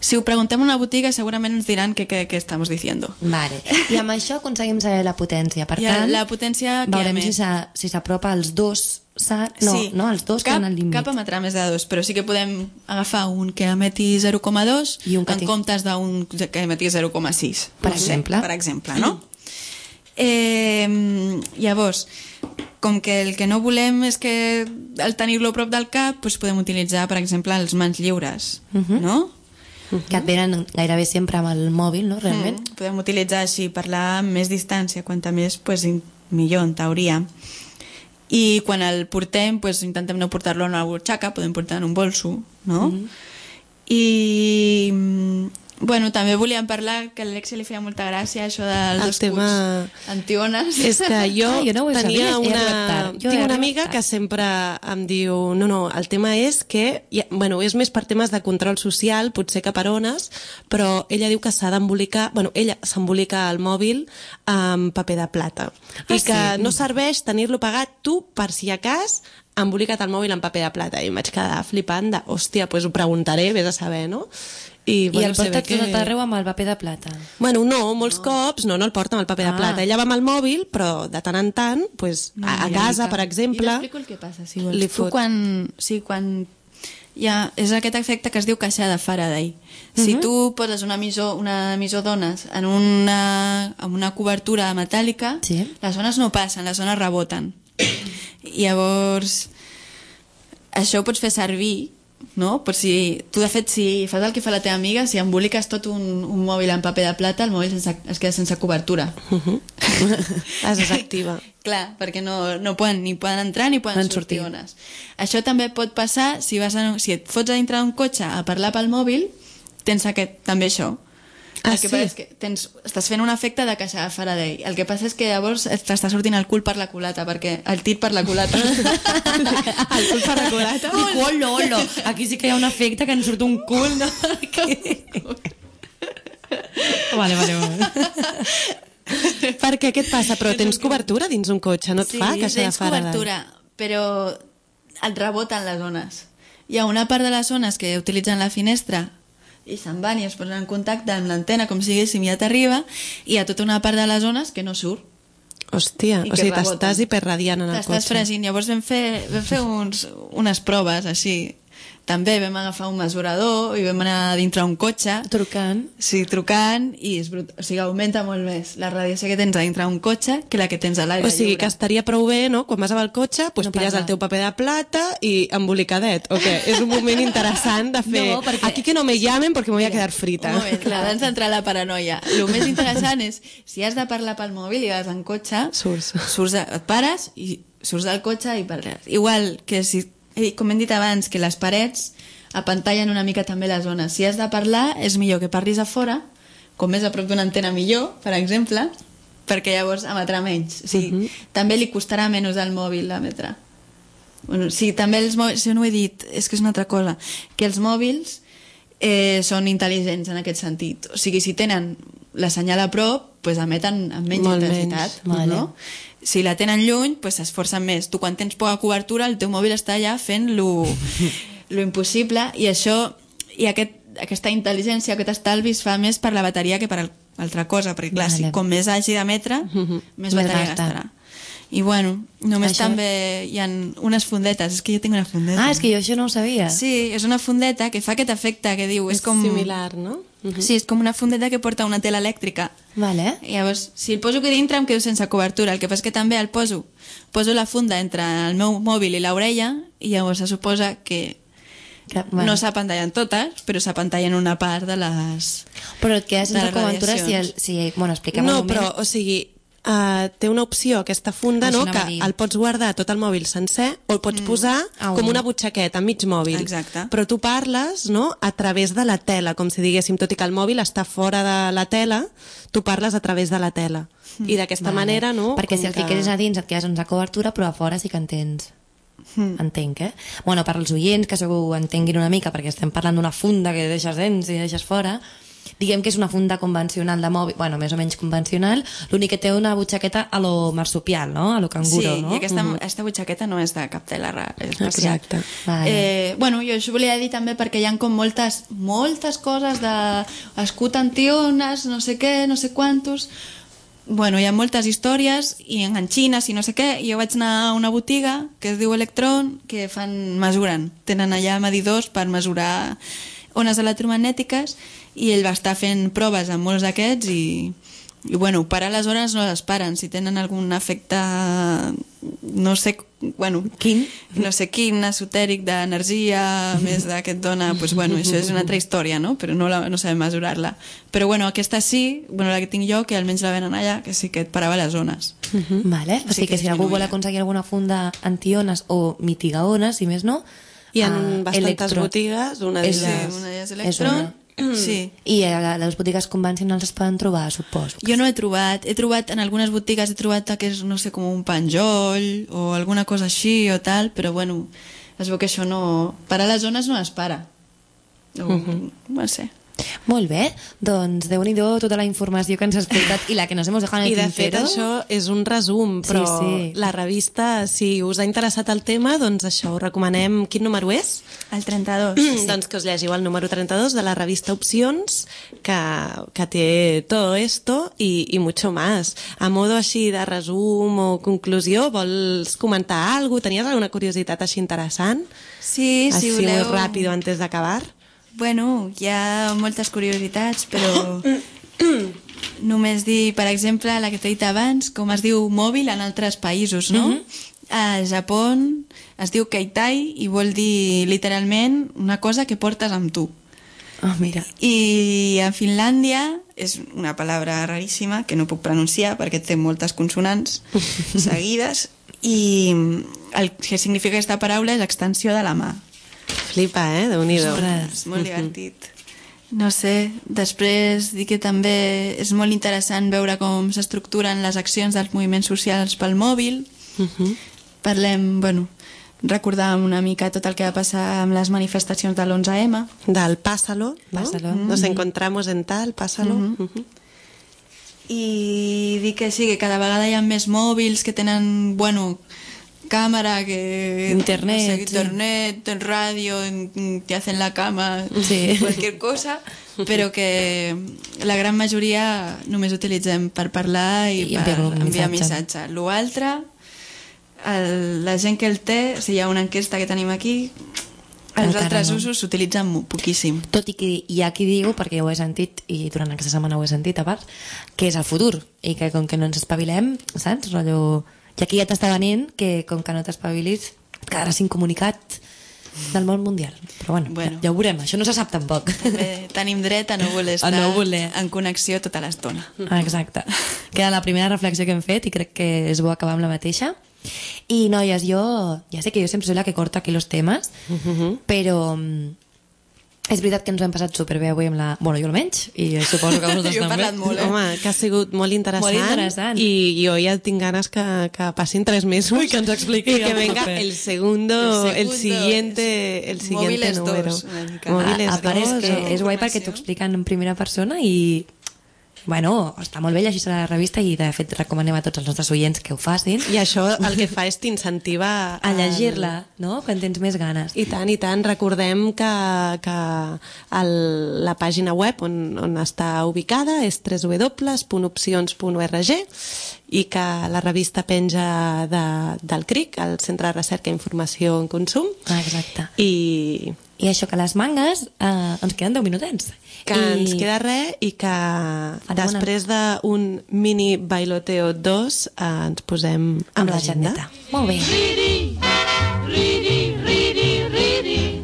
Si ho preguntem a una botiga, segurament ens diran què estem dient. Vale. I amb això aconseguim saber la potència. Per ja, tant, la potència veurem si s'apropa als dos S A R. No, sí. no, els dos cap, que han al límit. Cap emetrà més de dos, però sí que podem agafar un que emeti zero coma dos en té... comptes d'un que emeti zero coma sis. Per exemple. Per exemple, no? Eh, llavors, com que el que no volem és que al tenir-lo a prop del cap, doncs podem utilitzar, per exemple, els mans lliures, uh-huh. no? Que et venen gairebé sempre amb el mòbil, no? Realment. Mm, podem utilitzar així, parlar amb més distància, quanta més, pues, millor, en teoria. I quan el portem, pues, intentem no portar-lo en una butxaca, podem portar en un bolso, no? Mm-hmm. I... Bueno, també volíem parlar, que a l'Alexia li feia molta gràcia això dels dos tema... cuts antiones. És que jo, ah, jo no tenia sabia, una... tinc una amiga que sempre em diu no, no, el tema és que ja, bueno, és més per temes de control social, potser que per ones, però ella diu que s'ha d'embolicar, bueno, ella s'embolica el mòbil amb paper de plata. Ah, I que sí? No serveix tenir-lo pagat tu per si a cas embolica't el mòbil amb paper de plata. I em vaig quedar flipant de, hòstia, doncs ho preguntaré, vés a saber, no? I, bueno, I el porta que... tot arreu amb el paper de plata? Bueno, no, molts no. cops no, no el porta amb el paper ah. de plata. Ella va amb el mòbil, però de tant en tant, pues, no, a, a casa, per exemple... I t'explico el que passa, si vols. Tu quan... Sí, quan... Ja, és aquest efecte que es diu caixa de Faraday. Uh-huh. Si tu poses un emissor, una emissor d'ones en una, en una cobertura metàl·lica, sí. Les ones no passen, les ones reboten. I llavors, això ho pots fer servir, no? Per si, tu de fet, si fas el que fa la teva amiga, si emboliques tot un, un mòbil en paper de plata, el mòbil sense, es queda sense cobertura. Uh-huh. Es desactiva. Clar, perquè no, no poden, ni poden entrar ni poden sortir, sortir ones. Això també pot passar si, vas a, si et fots a dintre d'un cotxe a parlar pel mòbil, tens aquest, també això. Ah, el que sí? passa és que tens, estàs fent un efecte de caixa de Faraday. El que passa és que llavors t'està sortint el cul per la culata, perquè el tit per la culata. El cul per la culata. Dic, olo, olo. Aquí sí que hi ha un efecte que ens surt un cul, no? Vale, vale, vale. Perquè què et passa? Però tens cobertura dins un cotxe, no et sí, fa caixa de Faraday? Sí, tens cobertura, però et reboten les ones. Hi ha una part de les ones que utilitzen la finestra i se'n van i es posen en contacte amb l'antena com si diguéssim ja t'arriba, i hi ha tota una part de les zones que no surt. Hòstia, o sigui, t'estàs hiperradiant en el cotxe. T'estàs fregint. Llavors vam fer, vam fer uns, unes proves així. També vam agafar un mesurador i vam anar dintre un cotxe. Trucant. Sí, trucant, i és brut... o sigui, augmenta molt més la radiació que tens a dintre un cotxe que la que tens a l'aire lliure. O sigui, que estaria prou bé, no?, quan vas amb el cotxe, pues, no pilles el teu paper de plata i embolicadet. Ok, és un moment interessant de fer... No, perquè... Aquí que no me llamen perquè me voy a quedar frita. Un moment, clar, abans d'entrar a la paranoia. El més interessant és, si has de parlar pel mòbil i vas en cotxe, surts, surts et pares i surts del cotxe i parles. Igual que si... Com hem dit abans, que les parets apantallen una mica també les zones. Si has de parlar, és millor que parlis a fora, com més a prop d'una antena millor, per exemple, perquè llavors emetrà menys. O sigui, uh-huh. També li costarà menys al mòbil emetre. Bueno, sí, també els mòbils, si no ho he dit, és que és una altra cosa, que els mòbils eh, són intel·ligents en aquest sentit. O sigui, si tenen la senyal a prop, pues emeten amb menys molt intensitat. Menys, vale. No? Si la tenen lluny, pues s'esforcen més. Tu quan tens poca cobertura, el teu mòbil està allà fent lo, lo impossible, i això, i aquest, aquesta intel·ligència, aquest estalvi es fa més per la bateria que per altra cosa, perquè clar, vale. Si com més hagi d'emetre, uh-huh. més bateria gastarà. I bueno, només això... també hi ha unes fundetes. És que jo tinc una fundeta. Ah, és que jo això no ho sabia. Sí, és una fundeta que fa aquest efecte que diu... És, és com... similar, no? Uh-huh. Sí, és com una fundeta que porta una tela elèctrica. Vale. I llavors, si el poso aquí dintre em quedo sense cobertura. El que passa és que també el poso, poso la funda entre el meu mòbil i l'orella, i llavors se suposa que, que bueno. No s'apantallen totes, però s'apantallen una part de les... Però et quedes sense cobertura si... El, si bueno, expliquem no, un moment. No, però, o sigui, uh, té una opció, aquesta funda, Això no? anava que a dir. el pots guardar tot el mòbil sencer o el pots mm. posar Ah, com un. una butxaqueta, mig mòbil. Exacte. Però tu parles, no?, a través de la tela, com si diguéssim, tot i que el mòbil està fora de la tela, tu parles a través de la tela. Mm. I d'aquesta Vale. manera, no? Perquè com si el que... fiqueres a dins et quedes sense cobertura, però a fora sí que en tens. Mm. Entenc, eh? Bueno, per als oients, que segur ho entenguin una mica, perquè estem parlant d'una funda que deixes dins i deixes fora, diguem que és una funda convencional de mòbil, bueno, més o menys convencional, l'únic que té una butxaqueta a lo marsupial, no? A lo canguro, sí, no? i aquesta, Mhm. aquesta butxaqueta no és de cap tela rara, és especial. Exacte. Vale. Eh, bueno, jo això volia dir també perquè hi ha com moltes, moltes coses de escut antiones, no sé què, no sé quantos... Bueno, hi ha moltes històries i enganxines i no sé què. Jo vaig anar a una botiga que es diu Electron, que fan, mesuren. Tenen allà medidors per mesurar ones electromagnètiques i ell va estar fent proves amb molts d'aquests i, i bueno, parar les hores no les paren. Si tenen algun efecte, no sé, bueno, Quin? no sé quin, esotèric d'energia, més de que et dona, pues bueno, això és una altra història, no? Però no, la, no sabem mesurar-la. Però bueno, aquesta sí, bueno, la que tinc jo, que almenys la venen allà, que sí que et parava les ones. Vale. O Sí sigui que que si algú vol disminuïa. aconseguir alguna funda antiones o mitigaones, si més no... Hi ha a bastantes Electron. botigues, una És Sí, d'elles... una és És Electron. una. Sí. I a les botigues convencionals es poden trobar, suposo. Jo no he trobat, he trobat en algunes botigues he trobat que és, no sé, com un penjoll o alguna cosa així o tal, però bueno, es veu que això no... Parar les zones no es para. O, uh -huh. No sé. Molt bé, doncs déu-n'hi-do tota la informació que ens has explicat i la que nos hemos dejado en el I de fet tintero. això és un resum, però Sí, sí. la revista, si us ha interessat el tema, doncs això, us recomanem... Quin número és? El trenta-dos. Sí. Doncs que us llegiu el número trenta-dos de la revista Opcions, que, que té todo esto i, i mucho más. A modo així de resum o conclusió, vols comentar alguna cosa? Tenies alguna curiositat així interessant? Sí, si Així voleu... molt ràpido antes d'acabar? Bueno, hi ha moltes curiositats, però només dir, per exemple, la que t'he dit abans, com es diu mòbil en altres països, no? Mm -hmm. A Japó es diu keitai i vol dir literalment una cosa que portes amb tu. Oh, mira. I a Finlàndia és una paraula raríssima que no puc pronunciar perquè té moltes consonants seguides i el que significa aquesta paraula és extensió de la mà. Flipa, eh? Déu-n'hi-do. És molt divertit. No sé, després dir que també és molt interessant veure com s'estructuren les accions dels moviments socials pel mòbil. Uh-huh. Parlem, bueno, recordàvem una mica tot el que va passar amb les manifestacions de l'onze eme. Del pásalo, ¿no? Pásalo. Nos encontramos en tal, pásalo. Mhm. Uh-huh. I dir que sí, que cada vegada hi ha més mòbils que tenen, bueno, càmera, que... Internet, no sé, sí. internet, en ràdio, en- te hacen la cama, Sí. cualquier cosa, però que la gran majoria només utilitzem per parlar i, I per enviar un enviar missatge. missatge. L'altre, el, la gent que el té, si hi ha una enquesta que tenim aquí, els Encara altres no. usos s'utilitzen mo- poquíssim. Tot i que hi ha qui diu, perquè ho he sentit i durant aquesta setmana ho he sentit a part, que és el futur i que com que no ens espavilem, saps? Rotllo... I aquí ja t'està venint que com que no t'espavilis et quedaràs incomunicat del món mundial. Però bueno, Bueno. Ja, ja ho veurem, això no se sap tampoc. També tenim dret a no voler A estar no voler. en connexió tota l'estona. Ah, exacte. Queda la primera reflexió que hem fet i crec que és bo acabar amb la mateixa. I noies, jo ja sé que jo sempre soy la que corta aquí los temes, Uh-huh. però mm, és veritat que ens ho hem passat superbé avui amb la... Bueno, jo almenys, i suposo que vosaltres Jo he també. parlat molt, eh? Home, que ha sigut molt interessant, Molt interessant. i jo ja tinc ganes que, que passin tres mesos Ui, que ens expliqui i que el venga proper. el segundo, El el, segundo siguiente el siguiente Móviles número. dos, una mica. Móviles a, a part és dos, que o- és guai perquè t'ho expliquen en primera persona i bueno, està molt bé llegir la revista i de fet recomanem a tots els nostres oients que ho facin I això el que fa és t'incentiva a llegir-la, no? Quan tens més ganes. I tant, i tant. Recordem que, que el, la pàgina web on, on està ubicada és w w w punt opcions punt org i que la revista penja de, del C R I C, el Centre de Recerca i Informació en Consum. Ah, exacte. I I això que les mangues eh, ens queden deu minutets. que I... ens queda res i que Farem després d'un mini bailoteo dos eh, ens posem amb, amb l'agenda. l'agendeta. Molt bé. Reading, reading, reading, reading.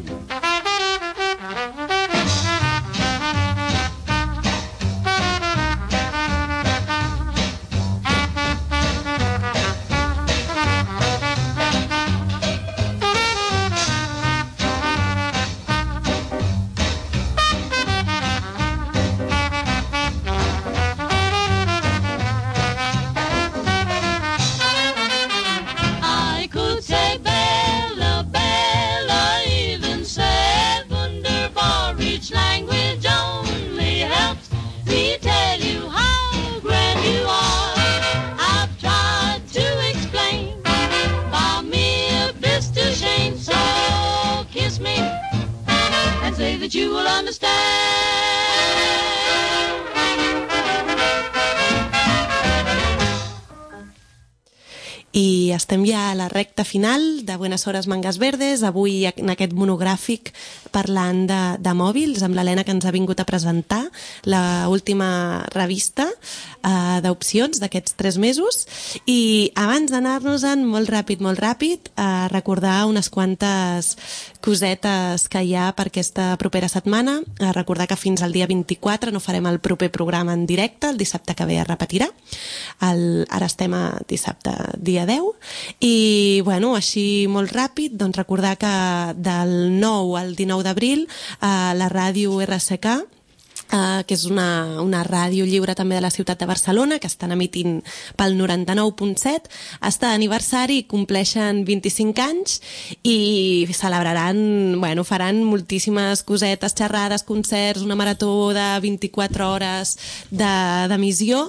that you will understand. I estem ja a la recta final de Buenas Hores Mangas Verdes, avui en aquest monogràfic parlant de, de mòbils, amb l'Helena que ens ha vingut a presentar la última revista eh, d'opcions d'aquests tres mesos. I abans d'anar-nos-en molt ràpid, molt ràpid, a recordar unes quantes cosetes que hi ha per aquesta propera setmana. A recordar que fins al dia vint-i-quatre no farem el proper programa en directe, el dissabte que ve es repetirà. El, ara estem a dissabte, dia deu, i bueno, així molt ràpid, doncs recordar que del nou al dinou d'abril a la ràdio R S K, Uh, que és una, una ràdio lliure també de la ciutat de Barcelona, que estan emitint pel noranta-nou punt set, està d'aniversari, compleixen vint-i-cinc anys i celebraran, bueno, faran moltíssimes cosetes, xerrades, concerts, una marató de vint-i-quatre hores d'emissió,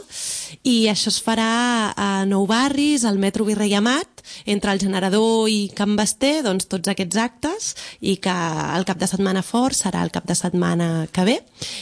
i això es farà a Nou Barris, al metro Virrei Amat, entre el Generador i Can Basté, doncs tots aquests actes, i que el cap de setmana fort serà el cap de setmana que ve.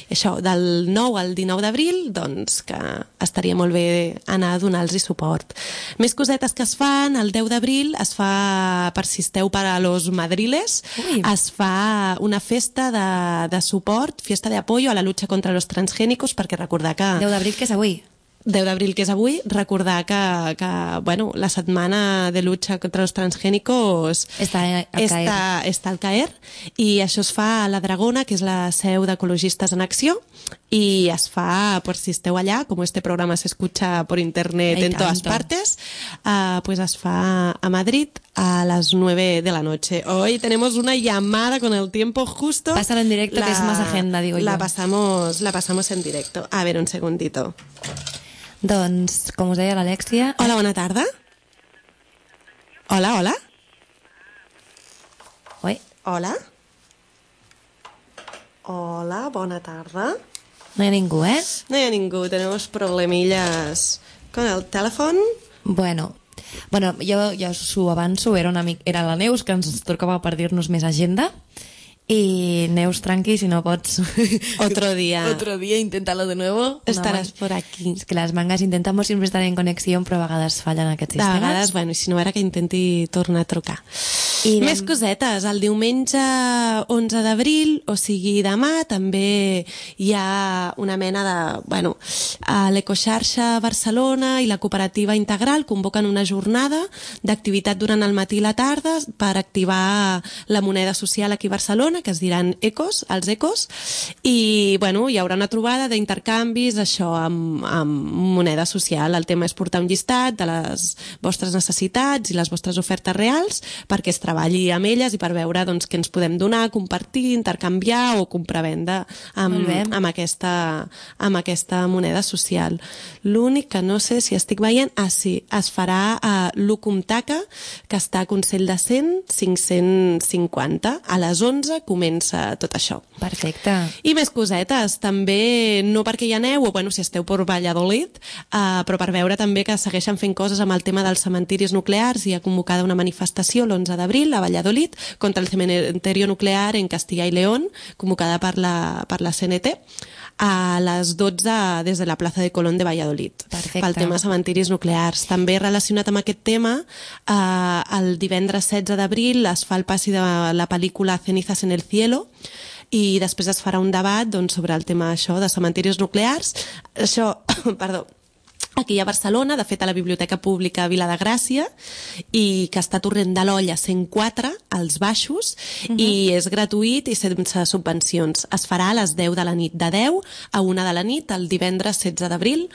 Això, del nou al dinou d'abril, doncs que estaria molt bé anar a donar-los suport. Més cosetes que es fan, el deu d'abril es fa, per si esteu per a los madriles, Ui. es fa una festa de, de suport, fiesta de apoyo a la lucha contra los transgénicos, perquè recordar que... deu d'abril, que és avui. deu d'abril, que és avui, recordar que, que bueno, la setmana de lucha contra los transgénicos està al CAER. Està, està al CAER, i això es fa a la Dragona, que és la seu d'Ecologistes en Acció, y es fa, por si esteu allá, como este programa se escucha por internet Ay, en tanto. todas partes, uh, pues es fa a Madrid a las nueve de la noche. Hoy tenemos una llamada con el tiempo justo. Pásalo en directo, la, que es más agenda, digo la yo. Pasamos, la pasamos en directo. A ver, un segundito. Doncs, com us deia l'Alèxia... Hola, bona tarda. Hola, hola. Oi? Hola. Hola, bona tarda. No hi ha ningú, eh? No hi ha ningú, tenemos problemillas con el teléfono. Bueno, bueno jo, jo s'ho avanço, era, una mica, era la Neus que ens tocava per dir-nos més agenda. Y Neus, tranqui, si no pots... Otro día. Otro día, inténtalo de nuevo. Estaràs por aquí. Es que las mangas intentamos siempre estar en conexión, però a vegades fallen aquests sistemes. De vegades, bueno, i si no, ara que intenti tornar a trucar. I anem... Més cosetes. El diumenge onze d'abril, o sigui demà, també hi ha una mena de... Bueno, a l'Ecoxarxa Barcelona i la Cooperativa Integral convoquen una jornada d'activitat durant el matí i la tarda per activar la moneda social aquí a Barcelona, que es diran ecos, els ecos, i bueno, hi haurà una trobada d'intercanvis, això, amb, amb moneda social. El tema és portar un llistat de les vostres necessitats i les vostres ofertes reals perquè es treballi amb elles i per veure doncs, què ens podem donar, compartir, intercanviar o comprar-venda amb, amb, aquesta, amb aquesta moneda social. L'únic que no sé si estic veient, ah sí, es farà a l'Ucumtaca, que està a Consell de Cent, cinc-cents cinquanta, a les onze comença tot això. Perfecte. I més cosetes, també, no perquè hi aneu, o bueno, si esteu per Valladolid, uh, però per veure també que segueixen fent coses amb el tema dels cementiris nuclears. Hi ha convocada una manifestació l'onze d'abril a Valladolid contra el cementerio nuclear en Castilla y León, convocada per la, per la C N T, a les dotze des de la plaça de Colón de Valladolid. Perfecte. Pel tema cementiris nuclears. També relacionat amb aquest tema, eh, el divendres setze d'abril es fa el passi de la pel·lícula Cenizas en el cielo, i després es farà un debat doncs, sobre el tema això de cementiris nuclears. Això, perdó, aquí a Barcelona, de fet a la Biblioteca Pública Vila de Gràcia, i que està a Torrent de l'Olla cent quatre, als baixos, uh-huh. i és gratuït i sense subvencions. Es farà a les deu de la nit, de deu a una de la nit, el divendres setze d'abril,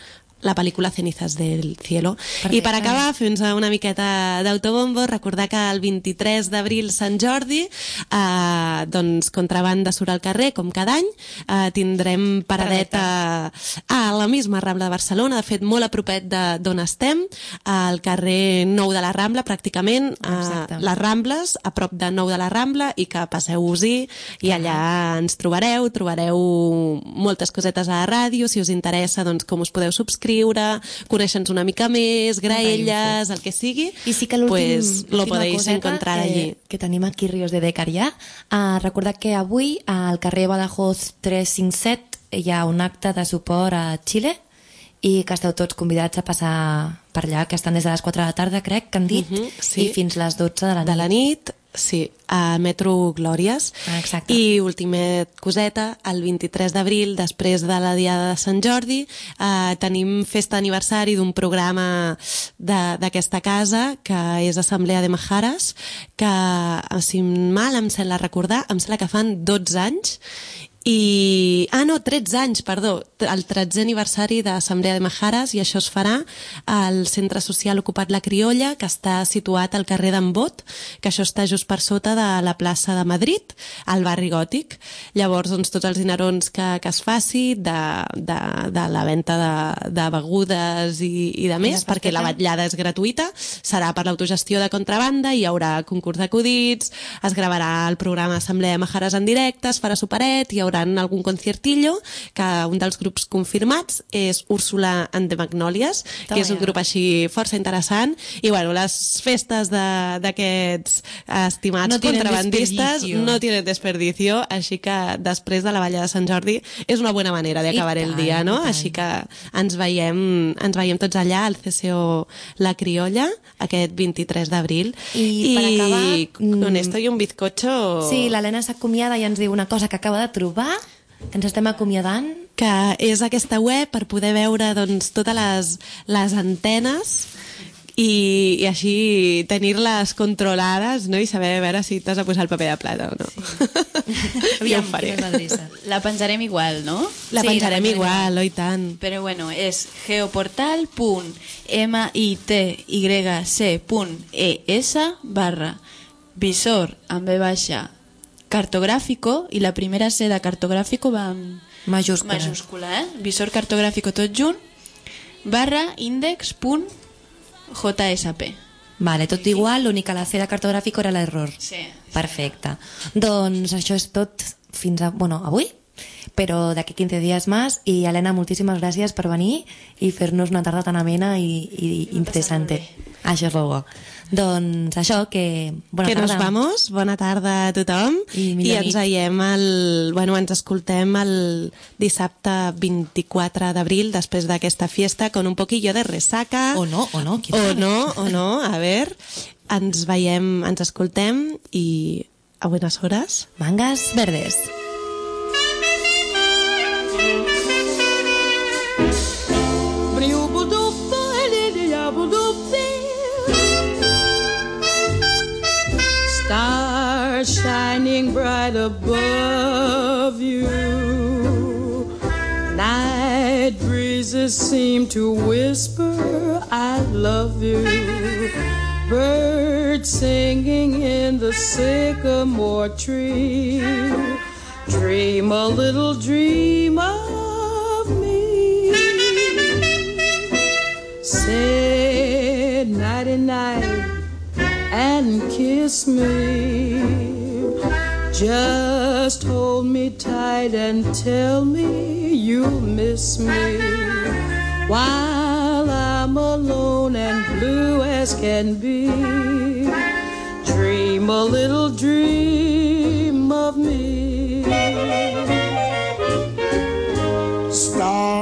la pel·lícula Cenizas del cielo. Perfecte. I per acabar, fent una miqueta d'autobombo, recordar que el vint-i-tres d'abril, Sant Jordi, eh, doncs Contrabanda surt al carrer, com cada any, eh, tindrem paradeta a la misma Rambla de Barcelona, de fet molt a propet d'on estem, al carrer Nou de la Rambla, pràcticament, eh, les Rambles, a prop de Nou de la Rambla, i que passeu-vos-hi, i allà ens trobareu, trobareu moltes cosetes a la ràdio, si us interessa, doncs com us podeu subscriure, escriure, conèixer-nos una mica més, graelles, el que sigui, I sí que l'últim, pues lo podéis encontrar eh, allí. Que tenim aquí Ríos de Decarià. Uh, recordar que avui al carrer Badajoz tres cinc set hi ha un acte de suport a Xile i que esteu tots convidats a passar per allà, que estan des de les quatre de la tarda, crec que han dit, uh -huh, sí. i fins les dotze de la nit. De la nit, sí, a Metro Glòries. Ah, exacte. I última coseta, el vint-i-tres d'abril, després de la Diada de Sant Jordi, eh, tenim festa d'aniversari d'un programa d'aquesta casa, que és Assemblea de Majares, que, si mal em sembla recordar, em sembla que fan dotze anys, i... Ah, no, tretze anys, perdó, el tretzè aniversari d'Assemblea de Majares, i això es farà al Centre Social Ocupat La Criolla, que està situat al carrer d'en Bot, que això està just per sota de la plaça de Madrid, al barri Gòtic. Llavors, doncs, tots els dinerons que, que es faci de, de, de la venda de, de begudes i, i de més, perquè la vetllada és gratuïta, serà per l'autogestió de contrabanda, hi haurà concurs d'acudits, es gravarà el programa Assemblea de Majares en directe, es farà superet, hi haurà algun conciertillo, que un dels grups confirmats és Úrsula and the Magnolias, que és un grup així força interessant, i bueno, les festes d'aquests estimats no contrabandistes no tienen desperdicio, així que després de la Balla de Sant Jordi és una bona manera d'acabar el dia, no? Així que ens veiem, ens veiem tots allà al C C O La Criolla aquest vint-i-tres d'abril. I, I per acabar... Con esto y un bizcocho... Sí, l'Helena s'acomiada i ens diu una cosa que acaba de trobar, que ens estem acomiadant. Que és aquesta web per poder veure doncs, totes les, les antenes i, i així tenir-les controlades, no? I saber a veure si t'has de posar el paper de plata o no. Sí. Ja ho faré. La penjarem igual, no? La Sí, penjarem la igual, oi tant. Però bueno, és geoportal punt mitcy punt es barra visor amb B baixa cartogràfico, i la primera C de cartogràfico va amb Majúscula. majúscula, eh? Visor cartogràfico tot junt, barra index.jsp. Vale, tot igual, l'únic que la C de cartogràfic era l'error. Sí. Perfecte. Doncs això és tot fins a... Bueno, avui, però d'aquí quinze dies més. I Helena, moltíssimes gràcies per venir i fer-nos una tarda tan amena i, i interessante. Això és bo. Doncs això, que... Bona que tarda. nos vamos, bona tarda a tothom. I I millor ens nit. veiem el... Bueno, ens escoltem el dissabte vint-i-quatre d'abril, després d'aquesta fiesta, con un poquillo de resaca. O no, o no. qui O sap? no, o no, a ver. Ens veiem, ens escoltem i a buenas horas. Mangas verdes. Stars shining bright above you. Night breezes seem to whisper, I love you. Birds singing in the sycamore tree. Dream a little dream of me. Say nighty night and kiss me. Just hold me tight and tell me you'll miss me. While I'm alone and blue as can be. Dream a little dream